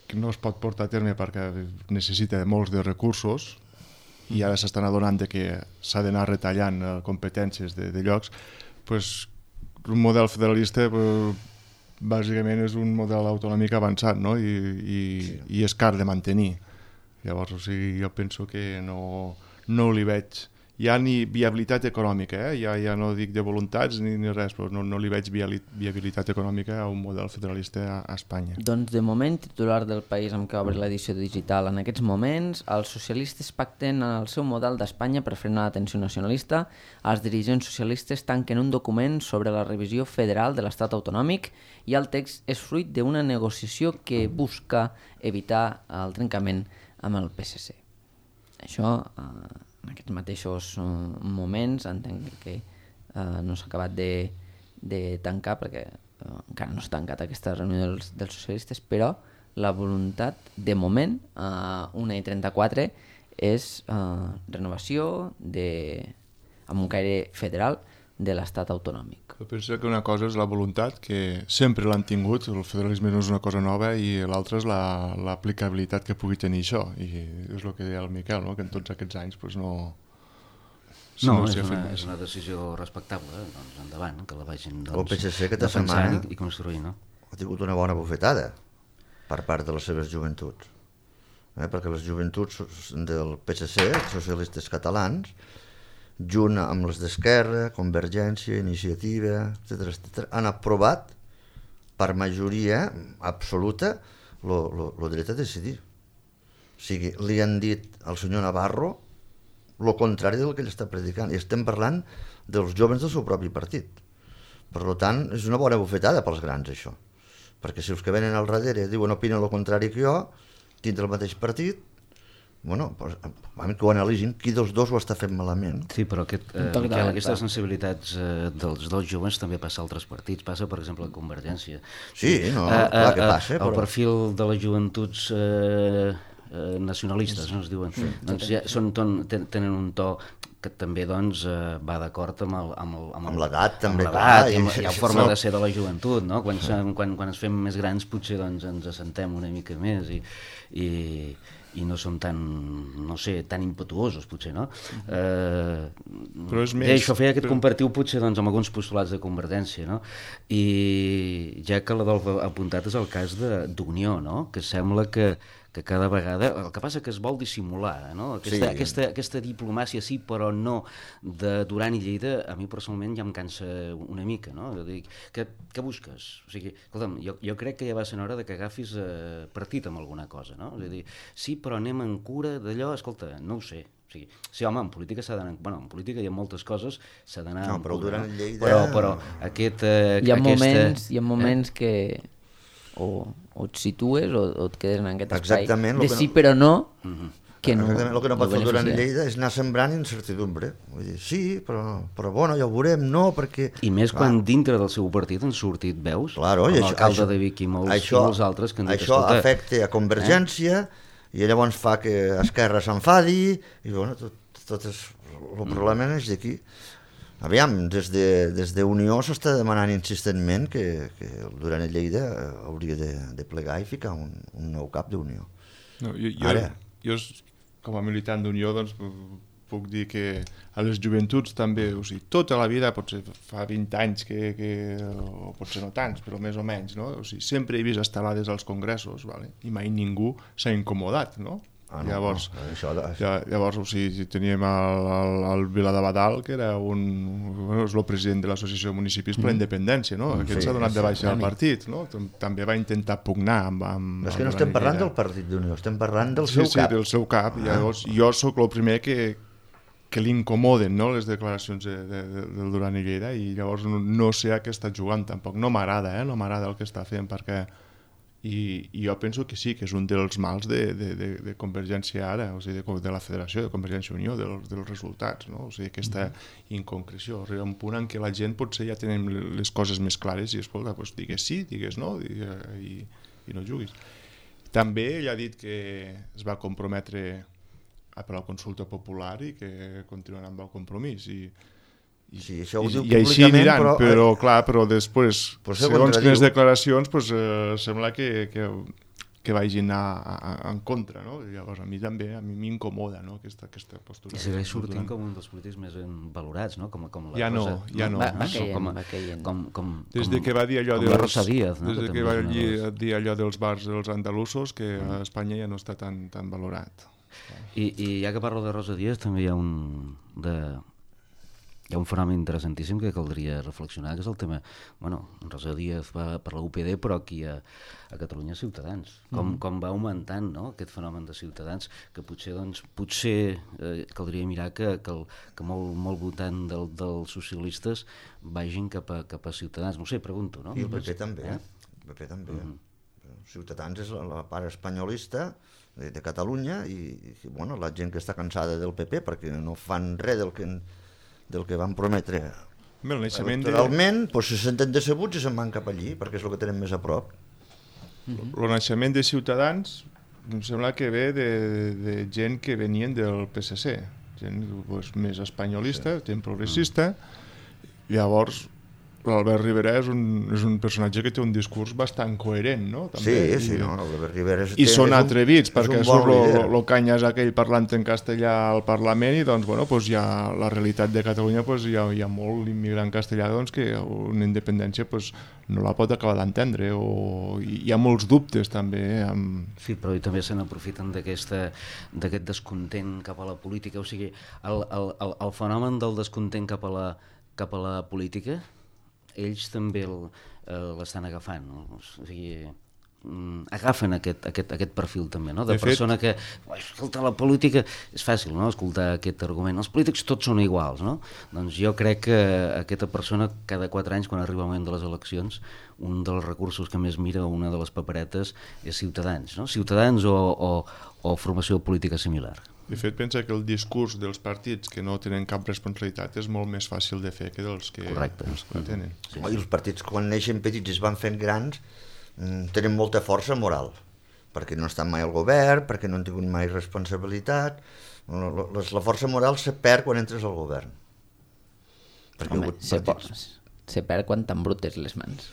que no es pot portar a terme perquè necessita molts de recursos i ara s'estan adonant de que s'ha d'anar retallant competències de, de llocs, pues, un model federalista pues, bàsicament és un model autonòmic avançat, no? I, i, sí. i és car de mantenir. Llavors, o sigui, jo penso que no, no li veig ja ni viabilitat econòmica, eh? ja, ja no dic de voluntats ni, ni res, però no, no li veig viabilitat econòmica a un model federalista a, a Espanya. Doncs de moment, titular del País amb què obre l'edició digital, en aquests moments els socialistes pacten el seu model d'Espanya per frenar la tensió nacionalista, els dirigents socialistes tanquen un document sobre la revisió federal de l'estat autonòmic i el text és fruit d'una negociació que busca evitar el trencament amb el P S C. Això... Eh, en aquests mateixos uh, moments entenc que uh, no s'ha acabat de, de tancar perquè uh, encara no s'ha tancat aquesta reunió dels, dels socialistes, però la voluntat de moment a uh, una i trenta-quatre és uh, renovació de, amb un caire federal de l'estat autonòmic. Jo penso que una cosa és la voluntat, que sempre l'han tingut, el federalisme no és una cosa nova, i l'altra és l'aplicabilitat que pugui tenir això, i és el que deia el Miquel, no? Que en tots aquests anys pues, no... No, no és, una, és una decisió respectable, eh? Doncs endavant, que la vagin doncs, el P S C aquesta setmana i, i construir, no? Ha tingut una bona bufetada per part de les seves joventuts, eh? Perquè les joventuts del P S C, els socialistes catalans, junt amb les d'Esquerra, Convergència, Iniciativa, etcètera, etcètera, han aprovat per majoria absoluta el dret a decidir. O sigui, li han dit al senyor Navarro el contrari del que ell està predicant. I estem parlant dels joves del seu propi partit. Per tant, és una bona bufetada pels grans, això. Perquè si els que venen al darrere diuen opinen el contrari que jo, dintre del mateix partit, bueno, pues, que ho analitzin, qui dels dos ho està fent malament. Sí, però aquest, eh, Miquel, aquestes sensibilitats eh, dels dos joves també passa a altres partits, passa, per exemple, a Convergència. Sí, no, eh, clar que passa. Eh, el però... perfil de les joventuts eh, eh, nacionalistes, no es diuen, sí. doncs ja són, ton, ten, tenen un to que també doncs, eh, va d'acord amb el, amb, el, amb, amb l'edat, també, amb l'edat, i amb, hi ha forma de ser de la joventut, no? Quan, quan, quan ens fem més grans potser doncs, ens assentem una mica més i, i, i no som tan, no sé, tan impetuosos, potser, no? Eh, Però és més... I això feia aquest comparatiu, potser, doncs, amb alguns postulats de Convergència, no? I ja que l'Adolf ha apuntat és el cas d'Unió, no? Que sembla que, que cada vegada... El que passa que es vol dissimular, no? Aquesta, sí. aquesta, aquesta diplomàcia sí, però no, de Duran i Lleida, a mi personalment ja em cansa una mica, no? Dic, què, què busques? O sigui, escolta'm, jo, jo crec que ja va ser hora de que agafis eh, partit amb alguna cosa, no? És a dir, sí, però anem en cura d'allò, escolta, no ho sé. O sigui, sí, home, en política s'ha d'anar... Bueno, en política hi ha moltes coses, s'ha d'anar... No, però Duran i Lleida... Però, però aquest... Eh, hi ha aquesta, moments, hi ha moments eh? que... O, o et situes o, o et quedes en aquest espai exactament, de no... sí però no, uh-huh. que no... Exactament, el que no pot fer Duran i Lleida és anar sembrant incertidumbre. Vull dir, sí, però, però bueno, ja ho veurem, no, perquè... I més clar, quan dintre del seu partit han sortit veus, claro, com l'alcalde això, de Vic i molts, això, i molts altres que han dit, això escolta... afecta a Convergència, eh? I llavors fa que Esquerra s'enfadi, i bueno, tot, tot és, el mm. problema és d'aquí. Aviam, des de, des de Unió s'està demanant insistentment que, que el Duran i Lleida hauria de, de plegar i ficar un, un nou cap d'Unió. No, jo, jo, Ara. jo, com a militant d'Unió, doncs, puc dir que a les joventuts també, o sigui, tota la vida, potser fa vint anys, que, que, o potser no tants, però més o menys, no? O sigui, sempre he vist estelades als congressos, vale? I mai ningú s'ha incomodat, no? Ah, no, llavors, no, això de... ja, llavors o sigui, teníem el, el, el Vila de Badal, que era un, bueno, és el president de l'Associació de Municipis mm. per la Independència, no? Aquest s'ha sí, donat de baixa al partit, no? També va intentar pugnar amb... amb no és que no estem parlant del partit d'Unió, estem parlant del sí, seu sí, cap. Sí, del seu cap. Ah. Llavors, jo sóc el primer que, que l'incomoden, no?, les declaracions de, de, de, del Duran i Lleida, i llavors no, no sé a què està jugant tampoc. No m'agrada, eh? No m'agrada el que està fent, perquè... I, i jo penso que sí, que és un dels mals de, de, de, de Convergència ara, o sigui, de, de la Federació, de Convergència i Unió, dels, dels resultats, no? O sigui, aquesta inconcreció. Arriba un punt en què la gent potser ja tenen les coses més clares i, escolta, doncs digues sí, digues no, digues, i, i no juguis. També ell ha dit que es va comprometre a per la consulta popular i que continuarà amb el compromís, i I, sí, això ho i, diu i així aniran, però, però eh, clar, però després, però segons quines declaracions, pues, eh, sembla que, que, que vagin a, a, en contra, no? I llavors a mi també, a mi m'incomoda, no?, aquesta, aquesta postura. I segueix sortint com un dels polítics més valorats, no? Com, com la ja no, Rosa, ja no. Va, va no? caient, com, va caient. Com, com, des de que va dir allò com dels, la Rosa Díaz, no? Des de que, que va dir, dels... dir allò dels bars dels andalusos, que a Espanya ja no està tan, tan valorat. I, I ja que parlo de Rosa Díaz, també hi ha un... De... Hi ha un fenomen interessantíssim que caldria reflexionar, que és el tema... Bueno, Rosa Díaz va per la U P D, però aquí a, a Catalunya Ciutadans. Com, mm. com va augmentant, no?, aquest fenomen de Ciutadans, que potser, doncs, potser eh, caldria mirar que, que, el, que molt, molt votant del, dels socialistes vagin cap a, cap a Ciutadans. No sé, pregunto, no? I el P P també, eh? El P P també. Mm-hmm. Ciutadans és la, la part espanyolista de, de Catalunya i, i, bueno, la gent que està cansada del P P perquè no fan res del que... del que van prometre electoralment, de... doncs se senten decebuts i se'n van cap allí, perquè és el que tenen més a prop. Mm-hmm. El naixement de Ciutadans em sembla que ve de, de gent que venien del P S C, gent pues, més espanyolista, sí. gent progressista, llavors l'Albert Rivera és un, és un personatge que té un discurs bastant coherent, no? També. Sí, sí, no, l'Albert Rivera és... I són és atrevits, un, perquè bon surt el canyes aquell parlant en castellà al Parlament i doncs, bueno, pues ja la realitat de Catalunya pues, hi, ha, hi ha molt immigrant castellà doncs, que una independència pues, no la pot acabar d'entendre o hi ha molts dubtes també. Amb... Sí, però també se n'aprofiten d'aquest descontent cap a la política, o sigui, el, el, el, el fenomen del descontent cap a la, cap a la política, ells també l'estan agafant, no? O sigui, agafen aquest, aquest, aquest perfil també, no? De, de persona fet... que, escolta, la política és fàcil, no? Escoltar aquest argument, els polítics tots són iguals, no? Doncs jo crec que aquesta persona cada quatre anys, quan arriba el moment de les eleccions, un dels recursos que més mira, una de les paperetes, és Ciutadans, no? Ciutadans o, o, o formació política similar. De fet, pensa que el discurs dels partits que no tenen cap responsabilitat és molt més fàcil de fer que dels que, els que tenen. Sí. I els partits, quan neixen petits i es van fent grans, tenen molta força moral, perquè no estan mai al govern, perquè no han tingut mai responsabilitat. La força moral se perd quan entres al govern. Perquè Home, se, partits... se perd quan t'embrutes les mans.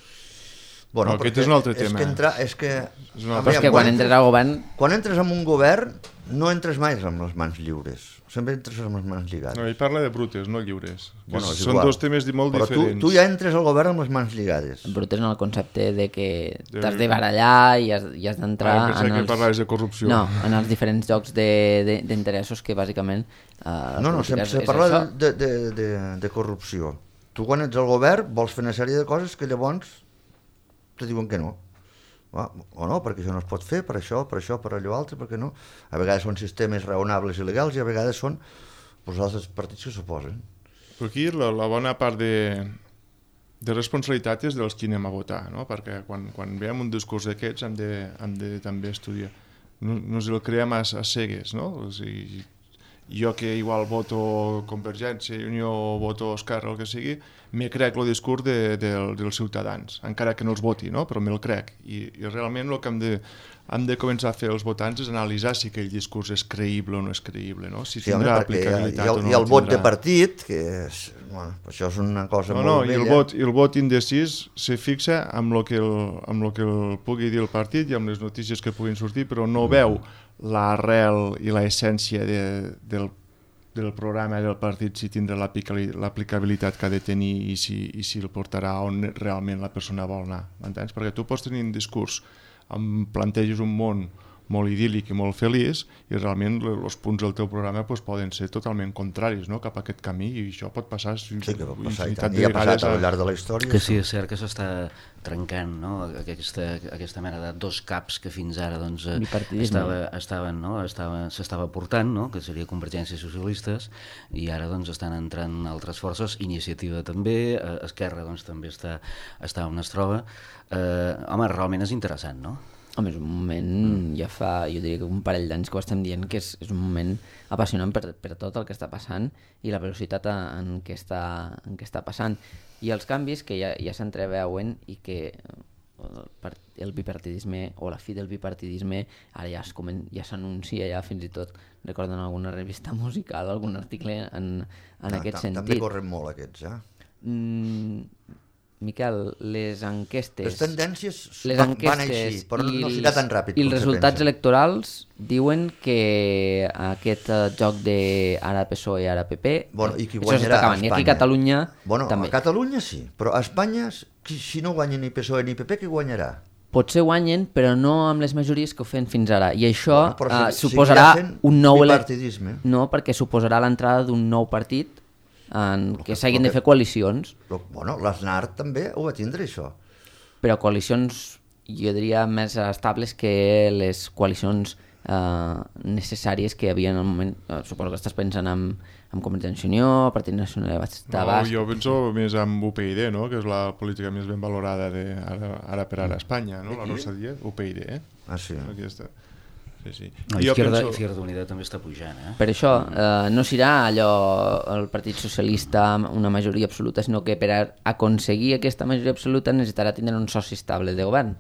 Bueno, no, aquest és un altre és tema. Que entra, és que, és una... Però és que quan entres al govern... Quan entres en un govern no entres mai amb les mans lliures. Sempre entres amb les mans lligades. No, ell parla de brutes, no lliures. Bueno, són igual. Dos temes molt Però diferents. Tu, tu ja entres al govern amb les mans lligades. Brutes en el concepte de que t'has de barallar i has, i has d'entrar ah, en els... els... parlaves de corrupció. No, en els diferents jocs d'interessos que bàsicament... Uh, no, no, sempre se parla de, de, de, de corrupció. Tu quan ets al govern vols fer una sèrie de coses que llavors te diuen que no. O no, perquè això no es pot fer, per això, per això, per allò altre, perquè no. A vegades són sistemes raonables i legals i a vegades són pues, altres partits que s'oposen. Però aquí la, la bona part de, de responsabilitat és dels qui anem a votar, no? Perquè quan, quan veiem un discurs d'aquests hem de, hem de també estudiar. No, no ens el creem a, a cegues, no? O sigui, jo que igual voto Convergència i Unió o voto Esquerra o el que sigui, me crec el discurs de, de, dels ciutadans, encara que no els voti, no? Però me'l crec. I, i realment el que hem de, hem de començar a fer els votants és analitzar si aquell discurs és creïble o no és creïble, no? Si sí, tindrà home, aplicabilitat el, o no. I el vot tindrà. De partit, que és, bueno, això és una cosa no, molt no, vella. I el vot, i el vot indecís se fixa amb el que el, amb el que el pugui dir el partit i amb les notícies que puguin sortir, però no veu l'arrel i l'essència de, del del programa del partit, si tindrà l'aplicabilitat que ha de tenir i si, i si el portarà on realment la persona vol anar, m'entens? Perquè tu pots tenir un discurs, em planteges un món molt idíl·lic i molt feliç i realment els punts del teu programa pues, poden ser totalment contraris, no? Cap a aquest camí i això pot passar sí, que pot passar i tant, i ha passat al llarg de la història. Que sí, és cert que s'està trencant, no? Aquesta, aquesta mena de dos caps que fins ara doncs, estava, estaven, no? estava, s'estava portant, no? Que seria Convergència i Socialistes, i ara doncs, estan entrant altres forces, Iniciativa també, Esquerra doncs, també està, està on es troba. Eh, home, realment és interessant, no? Home, és un moment, ja fa, jo diria que un parell d'anys que ho estem dient, que és, és un moment apassionant per, per tot el que està passant i la velocitat en què està, en què està passant. I els canvis que ja, ja s'entreveuen i que el, el bipartidisme o la fi del bipartidisme ara ja s'anuncia, ja fins i tot recorden alguna revista musical, algun article en, en ah, aquest sentit. També corren molt aquests, eh? Mm, Miquel, les enquestes... Les tendències les van, enquestes van així, però no serà tan ràpid. I els resultats electorals diuen que aquest uh, joc de ara P S O E, ara P P, bueno, i qui això s'està acabant. I aquí a Catalunya bueno, també. A Catalunya sí, però a Espanya, si no guanya ni P S O E ni P P, qui guanyarà? Potser guanyen, però no amb les majories que ho feien fins ara. I això bueno, uh, suposarà un nou... bipartidisme. No, perquè suposarà l'entrada d'un nou partit en què s'hagin de fer coalicions. Però, bueno, l'Aznar també ho va tindre, això. Però coalicions, jo diria, més estables que les coalicions eh, necessàries que hi havia en el moment. Eh, suposo que estàs pensant en, en Convergència i Unió, Partit Nacional de Basc... No, jo penso més en U P y D, no? Que és la política més ben valorada de ara, ara per ara a Espanya, no? La nostra dia, U P y D, eh? Ah, sí. Aquesta... Sí, sí. No, Izquierda, penso... Izquierda Unida també està pujant, eh? Per això eh, no serà allò el Partit Socialista amb una majoria absoluta, sinó que per aconseguir aquesta majoria absoluta necessitarà tindre un soci estable de govern.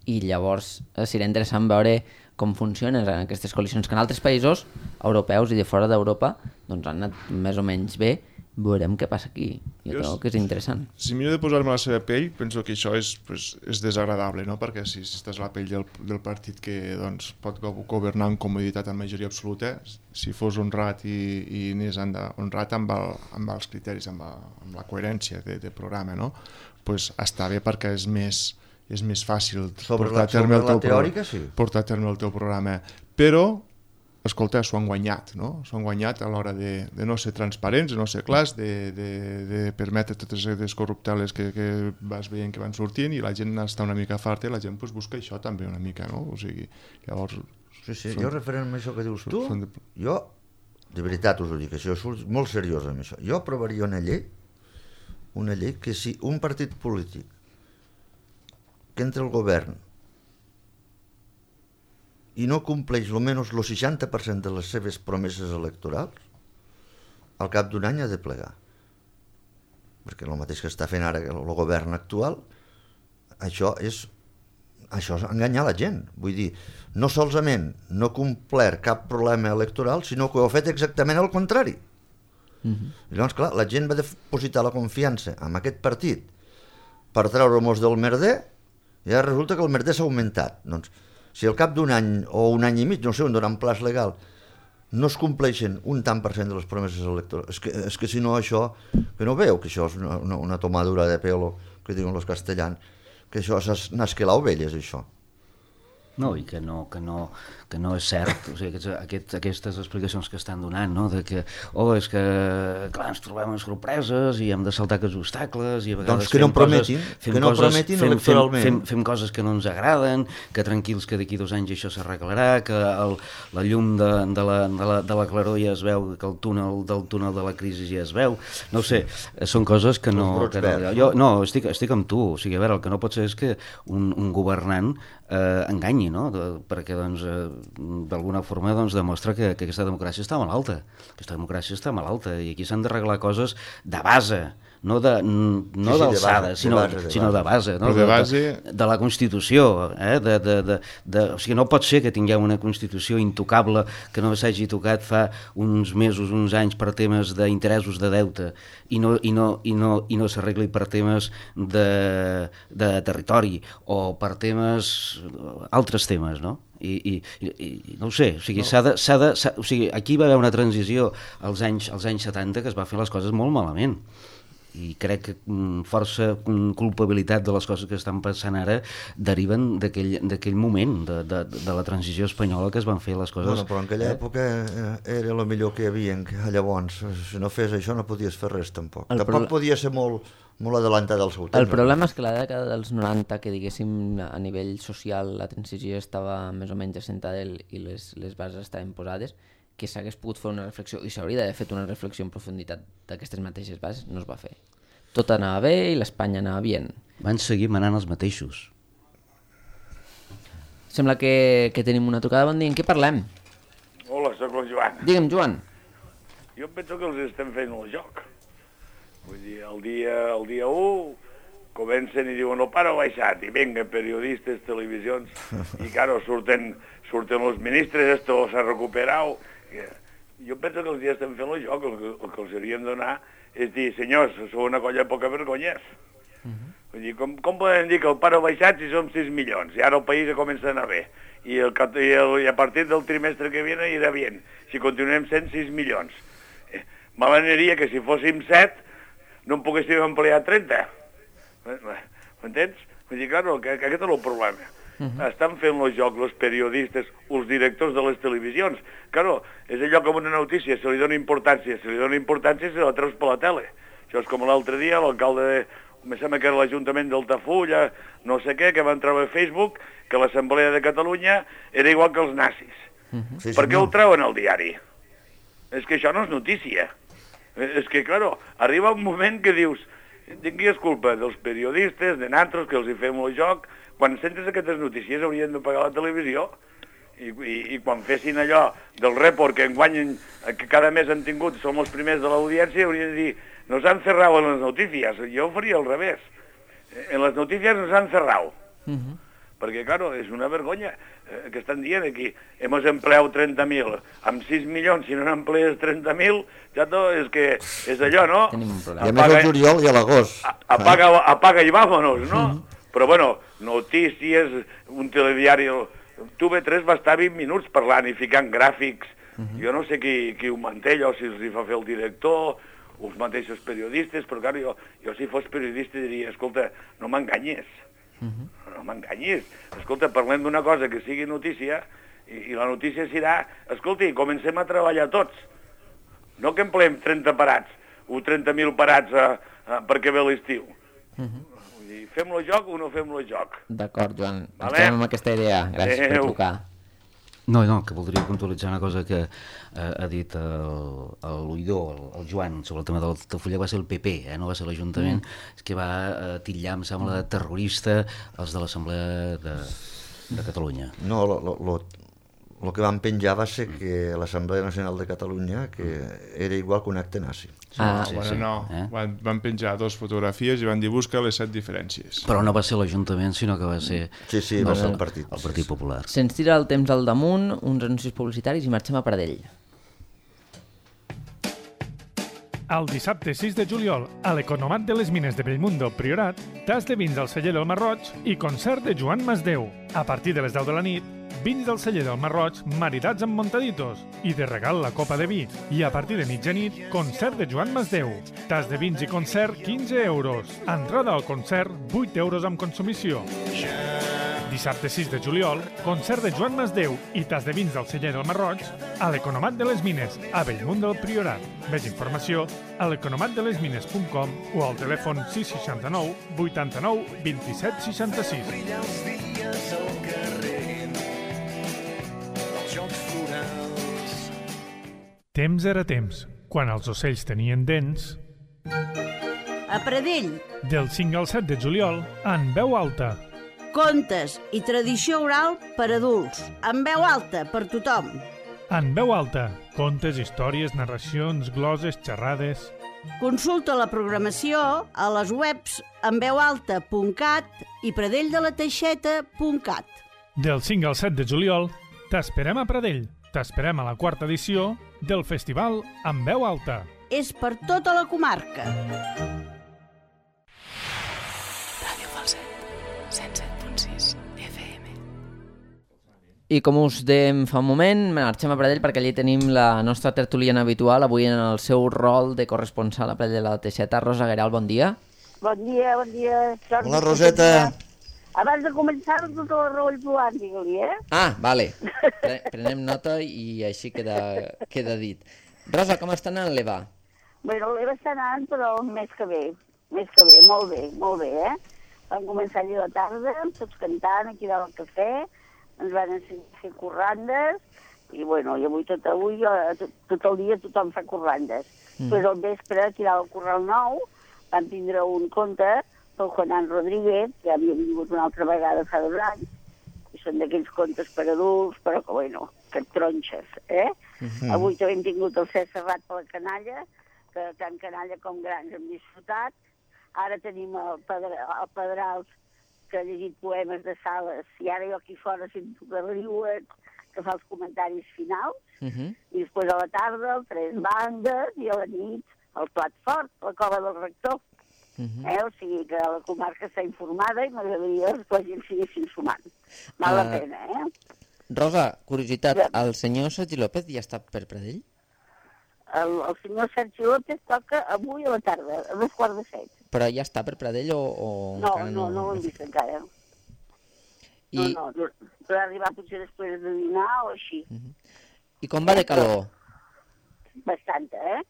I llavors eh, serà interessant veure com funcionen aquestes coalicions que en altres països europeus i de fora d'Europa doncs han anat més o menys bé veurem què passa aquí. Jo crec que és interessant. Si miro de posar-me a la seva pell, penso que això és, pues, és desagradable, no? Perquè si, si estàs a la pell del, del partit que doncs, pot governar amb comoditat en majoria absoluta, si fos honrat i, i anés honrat amb, el, amb els criteris, amb, el, amb la coherència de, de programa, no? Pues està bé perquè és més, és més fàcil sobre portar la, a terme el teu teòrica, pro, sí. portar a terme el teu programa. Però escolta, s'ho han guanyat, no? S'ho han guanyat a l'hora de, de no ser transparents, de no ser clars, de, de, de permetre totes les corrupteles que, que vas veient que van sortint i la gent està una mica farta i la gent pues, busca això també una mica, no? O sigui, llavors... Sí, sí, són, jo referent a això que dius tu, de... jo, de veritat us ho dic, això és molt seriós amb això, jo aprovaria una llei, una llei que si un partit polític que entra al govern i no compleix almenys el seixanta per cent de les seves promeses electorals, al cap d'un any ha de plegar. Perquè el mateix que està fent ara el govern actual, això és, això és enganyar la gent. Vull dir, no solament no ha complert cap problema electoral, sinó que ho ha fet exactament el contrari. Mm-hmm. I llavors, clar, la gent va depositar la confiança en aquest partit per treure-mos del merder i ara resulta que el merder s'ha augmentat. Doncs, si al cap d'un any o un any i mig, no sé, un donant plaç legal, no es compleixen un tant per cent de les promeses electorals, és que, és que si no això, que no veu que això és una, una, una tomadura de pelo, que diuen els castellans, que això és nasquelar ovelles, això. No, i que no, que no, que no és cert, o sigui, aquests, aquest, aquestes explicacions que estan donant, no? De que, oh, és que, clar, ens trobem en sorpreses i hem de saltar aquests obstacles i a vegades doncs que no prometin, coses, que no coses, prometin fem, electoralment. Fem, fem, fem coses que no ens agraden, que tranquils que d'aquí dos anys això s'arreglarà, que el, la llum de, de, la, de, la, de la claror ja es veu, que el túnel del túnel de la crisi ja es veu, no ho sé, són coses que no... Que no jo, no, estic, estic amb tu, o sigui, a veure, el que no pot ser és que un, un governant eh, enganyi, no? De, perquè doncs, eh, d'alguna forma doncs, demostra que, que aquesta democràcia està malalta, aquesta democràcia està malalta i aquí s'han d'arreglar coses de base, no de no sí, sí, d'alçada, sinó, de base, sinó de base, no? de, base... de, de la Constitució, eh? de, de, de, de, o sigui, no pot ser que tinguem una Constitució intocable que no s'hagi tocat fa uns mesos, uns anys per temes d'interessos de deute i no, i no, i no, i no s'arregli per temes de, de territori o per temes, altres temes, no? I, i, i no ho sé, o sigui, no. s'ha de, s'ha de, s'ha, o sigui, aquí va haver una transició als anys, als anys setanta que es va fer les coses molt malament i crec que força culpabilitat de les coses que estan passant ara deriven d'aquell moment de, de, de la transició espanyola que es van fer les coses... Bueno, però en aquella eh? època era el millor que hi havia llavors, si no fes això no podies fer res tampoc, el tampoc pro... podia ser molt, molt adelantat al seu temps. El problema és que la dècada dels noranta, que diguéssim a nivell social la transició estava més o menys assentada i les, les bases estaven posades, que s'hagués pogut fer una reflexió, i s'hauria d'haver fet una reflexió en profunditat d'aquestes mateixes bases, no es va fer. Tot anava bé i l'Espanya anava bé. Van seguir manant els mateixos. Sembla que, que tenim una trucada. Bon dia, en què parlem? Hola, sóc el Joan. Digue'm, Joan. Jo penso que els estem fent el joc. Vull dir, el dia, el dia u comencen i diuen el pare ha baixat, i venga, periodistes, televisions, i claro, surten, surten els ministres, esto s'ha recuperat. Jo penso que els dies estem fent el joc, el que, el que els hauríem de donar és dir, senyors, sou una colla de poca vergonyes. Uh-huh. Vull dir, com, com podem dir que el pare ha baixat si som sis milions, i ara el país comença a anar bé, i, el, i, el, i a partir del trimestre que viene irà bé, si continuem sent sis milions. Eh, M'agradaria que si fóssim set no en poguéssim emplear trenta. M'entens? Vull dir, claro, que, que aquest és el problema. Uh-huh. Estan fent el joc els periodistes, els directors de les televisions. Claro, és allò com una notícia, se li dona importància, se li dona importància se la treus per la tele. Això és com l'altre dia, l'alcalde de... me sembla que era l'Ajuntament d'Altafulla, no sé què, que van treure a Facebook que l'Assemblea de Catalunya era igual que els nazis. Uh-huh. Sí, per què no. Ho treuen al diari? És que això no és notícia. És que, claro, arriba un moment que dius, de qui és culpa? Dels periodistes, de nosaltres, que els hi fem el joc. Quan sentes aquestes notícies haurien de pagar la televisió i, i, i quan fessin allò del report que enguany, que cada mes han tingut, som els primers de l'audiència, haurien de dir, nos han cerrado en les notícies. Jo ho faria al revés. En les notícies nos han cerrado. Uh-huh. Perquè, claro, és una vergonya eh, que estan dient aquí, hemos empleado trenta mil, amb sis milions, si no n'emplees trenta mil, ja tot és que és allò, no? Tenim un problema. I a més al juliol i a l'agost. Apaga, apaga i vámonos, no? Mm. Però, bueno, notícies, un telediari... T V tres va estar vint minuts parlant i ficant gràfics. Mm-hmm. Jo no sé qui, qui ho manté, allò, si els hi fa fer el director, els mateixos periodistes, però, clar, jo, jo si fos periodista diria, escolta, no m'enganyes. Mm-hmm. No m'enganyis. Escolta, parlem d'una cosa que sigui notícia i, i la notícia serà, escolti, comencem a treballar tots. No que empleem trenta parats o trenta mil parats a, a, perquè ve l'estiu. Mm-hmm. Vull dir, fem-lo joc o no fem-lo joc? D'acord, Joan. Vale? Estem amb aquesta idea. Gràcies Adeu. Per trucar. No, no, que voldria puntualitzar una cosa que eh, ha dit l'oïdor, el, el Joan, sobre el tema del Altafulla, va ser el P P, eh, no va ser l'Ajuntament, mm. és que va eh, titllar, em sembla, de terrorista els de l'Assemblea de, de Catalunya. No, lo, lo, lo, lo que van penjar va ser que l'Assemblea Nacional de Catalunya que era igual que un acte nazi. Ah, sí, bueno, sí. no, Eh? van, van penjar dos fotografies i van dir busca les set diferències. Però no va ser l'Ajuntament, sinó que va ser Sí, sí, va ser el partit. el Partit Popular. Se'ns tira el temps al damunt, uns anuncis publicitaris i marxem a Pradell. El dissabte sis de juliol, a l'Economat de les Mines de Bellmundo, Priorat, tas de vins del celler del Marroig i concert de Joan Masdeu. A partir de les deu de la nit, vins del celler del Marroig maridats amb montaditos i de regal la copa de vi. I a partir de mitjanit, concert de Joan Masdeu. Tas de vins i concert, quinze euros. Entrada al concert, vuit euros amb consumició. Dissabte sis de juliol, concert de Joan Masdeu i tas de vins del celler del Marroig a l'Economat de les Mines, a Bellmunt del Priorat. Més informació a l'economatdelesmines punt com o al telèfon sis seixanta-nou vuitanta-nou vint-i-set seixanta-sis. Brillar els dies al carrer, els jocs florals. Temps era temps, quan els ocells tenien dents. A Pradell, Del cinc al set de juliol, en veu alta. contes i tradició oral per adults, en veu alta per tothom. En veu alta, contes, històries, narracions, gloses, xerrades... Consulta la programació a les webs en veu alta punt cat i pradelldela-teixeta punt cat. Del cinc al set de juliol, t'esperem a Pradell. T'esperem a la quarta edició del festival En veu alta. És per tota la comarca. Ràdio Falset, cent set punt sis F M. I com us dèiem fa un moment, marxem a Pradell perquè allí tenim la nostra tertuliana habitual, avui en el seu rol de corresponsal a Pradell de la Teixeta. Rosa Gueral, bon dia. Bon dia, bon dia. Jordi, Hola, Roseta. Abans de començar, tota la raó i Joan, digue-li, eh? Ah, vale. Pre prenem nota i així queda, queda dit. Rosa, com està anant l'Eva? Bueno, l'Eva està anant, però més que bé. Més que bé, molt bé, molt bé, eh? Vam començar allà a la tarda, tots cantant aquí dalt al cafè, ens van ensenyar a fer corrandes, i bueno, i avui tot, avui, tot, tot el dia tothom fa corrandes. Mm. Però al vespre, aquí dalt al Corral Nou, vam tindre un conte pel Juanán Rodríguez, que havia vingut una altra vegada fa dos anys, i són d'aquells contes per adults, però que, bueno, que et tronxes, eh? Mm-hmm. Avui també hem tingut el Cesc Serrat per la canalla, que tant canalla com grans hem disfrutat. Ara tenim el, Pedra, el Pedrals, que ha llegit poemes de Sales, i ara jo aquí fora sento que riuen, que fa els comentaris finals, mm-hmm. i després a la tarda el Tres Bandes, i a la nit el Plat Fort, la Cova del Rector. Uh-huh. Eh? O sigui que la comarca està informada i m'agradaria que la gent s'hi sumant. Val uh, la pena, eh? Rosa, curiositat, el senyor Sergi López ja està per Pradell? El, el senyor Sergi López toca avui a la tarda, a dos quarts de set. Però ja està per Pradell o...? o no, no, no, no ho hem vist encara. I... No, no, però arribar potser després de dinar o així. Uh-huh. I com va de calor? Bastanta, eh?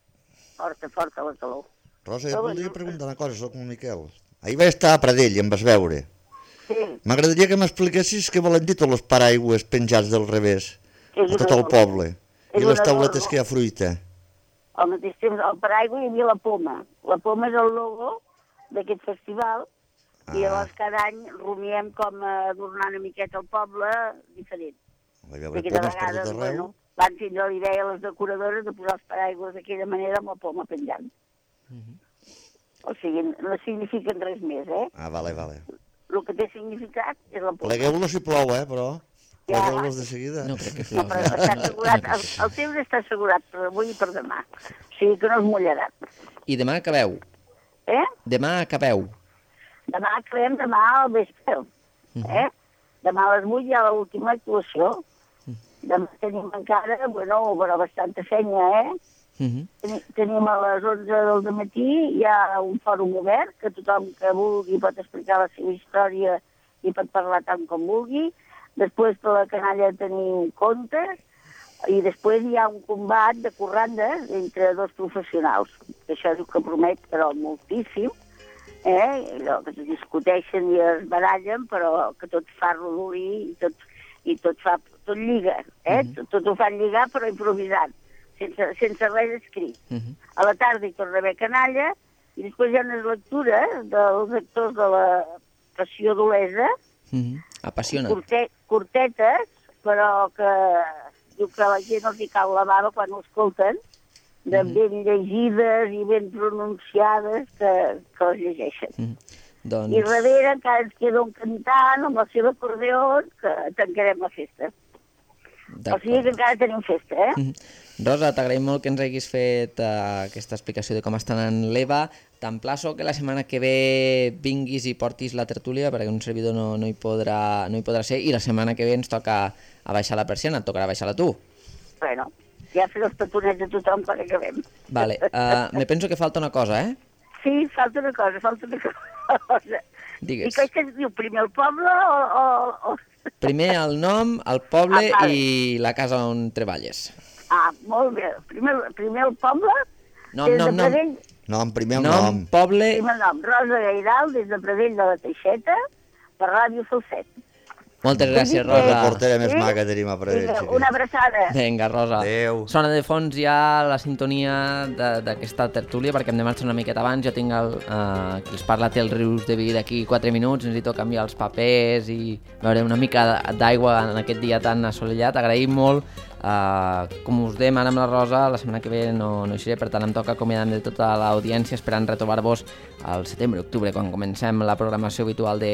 Forta, forta la calor. Rosa, jo voldria preguntar una cosa, soc un Miquel. Ahir vaig estar a Pradell i em vas veure. Sí. M'agradaria que m'expliquessis què volen dir tots els paraigües penjats del revés a tot el poble. I les tauletes que hi ha fruita. Al mateix temps, al paraigua hi havia la poma. La poma és el logo d'aquest festival ah. i llavors cada any rumiem com adornar una miqueta el poble diferent. Hi va haver pomes per tot arreu. Bueno, van tindre la idea les decoradores de posar els paraigües d'aquella manera amb la poma penjant. Uh-huh. O sigui, no signifiquen res més, eh? Ah, vale, vale. el que té significat és la punta. Plegueu-los si plou, eh, però... Ja. Plegueu-los de seguida. No crec que No, plogui. però està assegurat, el, el temps està assegurat per avui i per demà. O sigui que no es mullarà. I demà acabeu? Eh? Demà acabeu? Demà acabem demà al vespre. Eh? Demà a les vuit hi ha l'última actuació. Demà tenim encara, bueno, però bastanta feina, eh? Uh-huh. Teni- Tenim a les onze del matí, hi ha un fòrum obert, que tothom que vulgui pot explicar la seva història i pot parlar tant com vulgui. Després per la canalla tenim contes i després hi ha un combat de corrandes entre dos professionals. Això diu que promet, però moltíssim, eh? Allò que es discuteixen i es barallen, però que tot fa rodolí i tot, i tot fa tot lliga, eh? Mhm. tot, tot ho fan lligar però improvisant, sense, sense res escrit. Uh-huh. A la tarda hi torna a haver canalla i després hi ha unes lectures dels actors de la Passió d'Olesa, Uh-huh. Apassiona. curte, curtetes, però que diu que la gent els hi cau la bava quan ho escolten, de ben llegides i ben pronunciades que, que les llegeixen. Uh-huh. Doncs... I darrere encara ens queda un cantant amb el seu acordeó que tancarem la festa. O sigui que encara tenim festa, eh? Mhm. Rosa, t'agraïm molt que ens haguis fet uh, aquesta explicació de com està anant l'Eva. T'emplaço que la setmana que ve vinguis i portis la tertúlia perquè un servidor no, no, hi podrà, no hi podrà ser i la setmana que ve ens toca a baixar la persiana, et tocarà baixar-la tu. Bueno, ja fer els petonets a tothom quan acabem. Vale, uh, me penso que falta una cosa, eh? Sí, falta una cosa, falta una cosa. Digues. I que, que es diu primer el poble o... o, o... Primer el nom, el poble Ah, vale. i la casa on treballes. Ah, molt bé. Primer, primer el poble, Nom, des nom, de nom. Pradell, Nom, primer el Nom, nom. poble... primer nom, Rosa Gairal, des de Pradell de la Teixeta, per Ràdio Falset. Moltes gràcies, La Rosa. reportera més Sí? maca tenim a Pradell. Vinga, sí. una abraçada. Vinga, Rosa. Adéu. Sona de fons ja la sintonia de- d'aquesta tertúlia perquè hem de marxar una miqueta abans. Jo tinc el, eh, qui els parla té els rius de vi d'aquí quatre minuts, necessito canviar els papers i veure una mica d'aigua en aquest dia tan assolellat. Agraïm molt. Uh, com us dèiem ara amb la Rosa, la setmana que ve no, no hi seré, per tant em toca acomiadar de tota l'audiència esperant retrobar-vos al setembre-octubre quan comencem la programació habitual de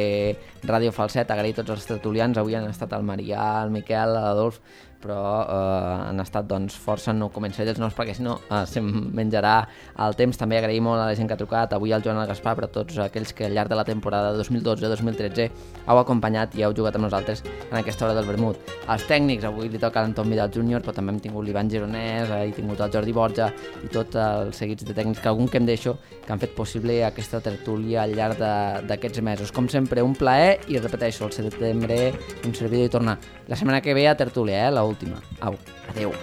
Ràdio Falset. Agrair tots els tertulians, avui han estat el Marià, el Miquel, l'Adolf, però eh, han estat doncs, força, no començaré dels nous perquè si no eh, se'm menjarà el temps. També agrair molt a la gent que ha trucat, avui al Joan el Gaspar, però tots aquells que al llarg de la temporada dos mil dotze dos mil tretze heu acompanyat i heu jugat amb nosaltres en aquesta hora del vermut. Els tècnics, avui li toca l'Anton Vidal júnior, però també hem tingut l'Ivan Gironès, eh, he tingut el Jordi Borja i tots els seguits de tècnics, que algun que em deixo, que han fet possible aquesta tertúlia al llarg de- d'aquests mesos. Com sempre, un plaer i repeteixo, el setembre un servidor i tornar la setmana que ve a tertúlia, eh, l'última. Au, adeu.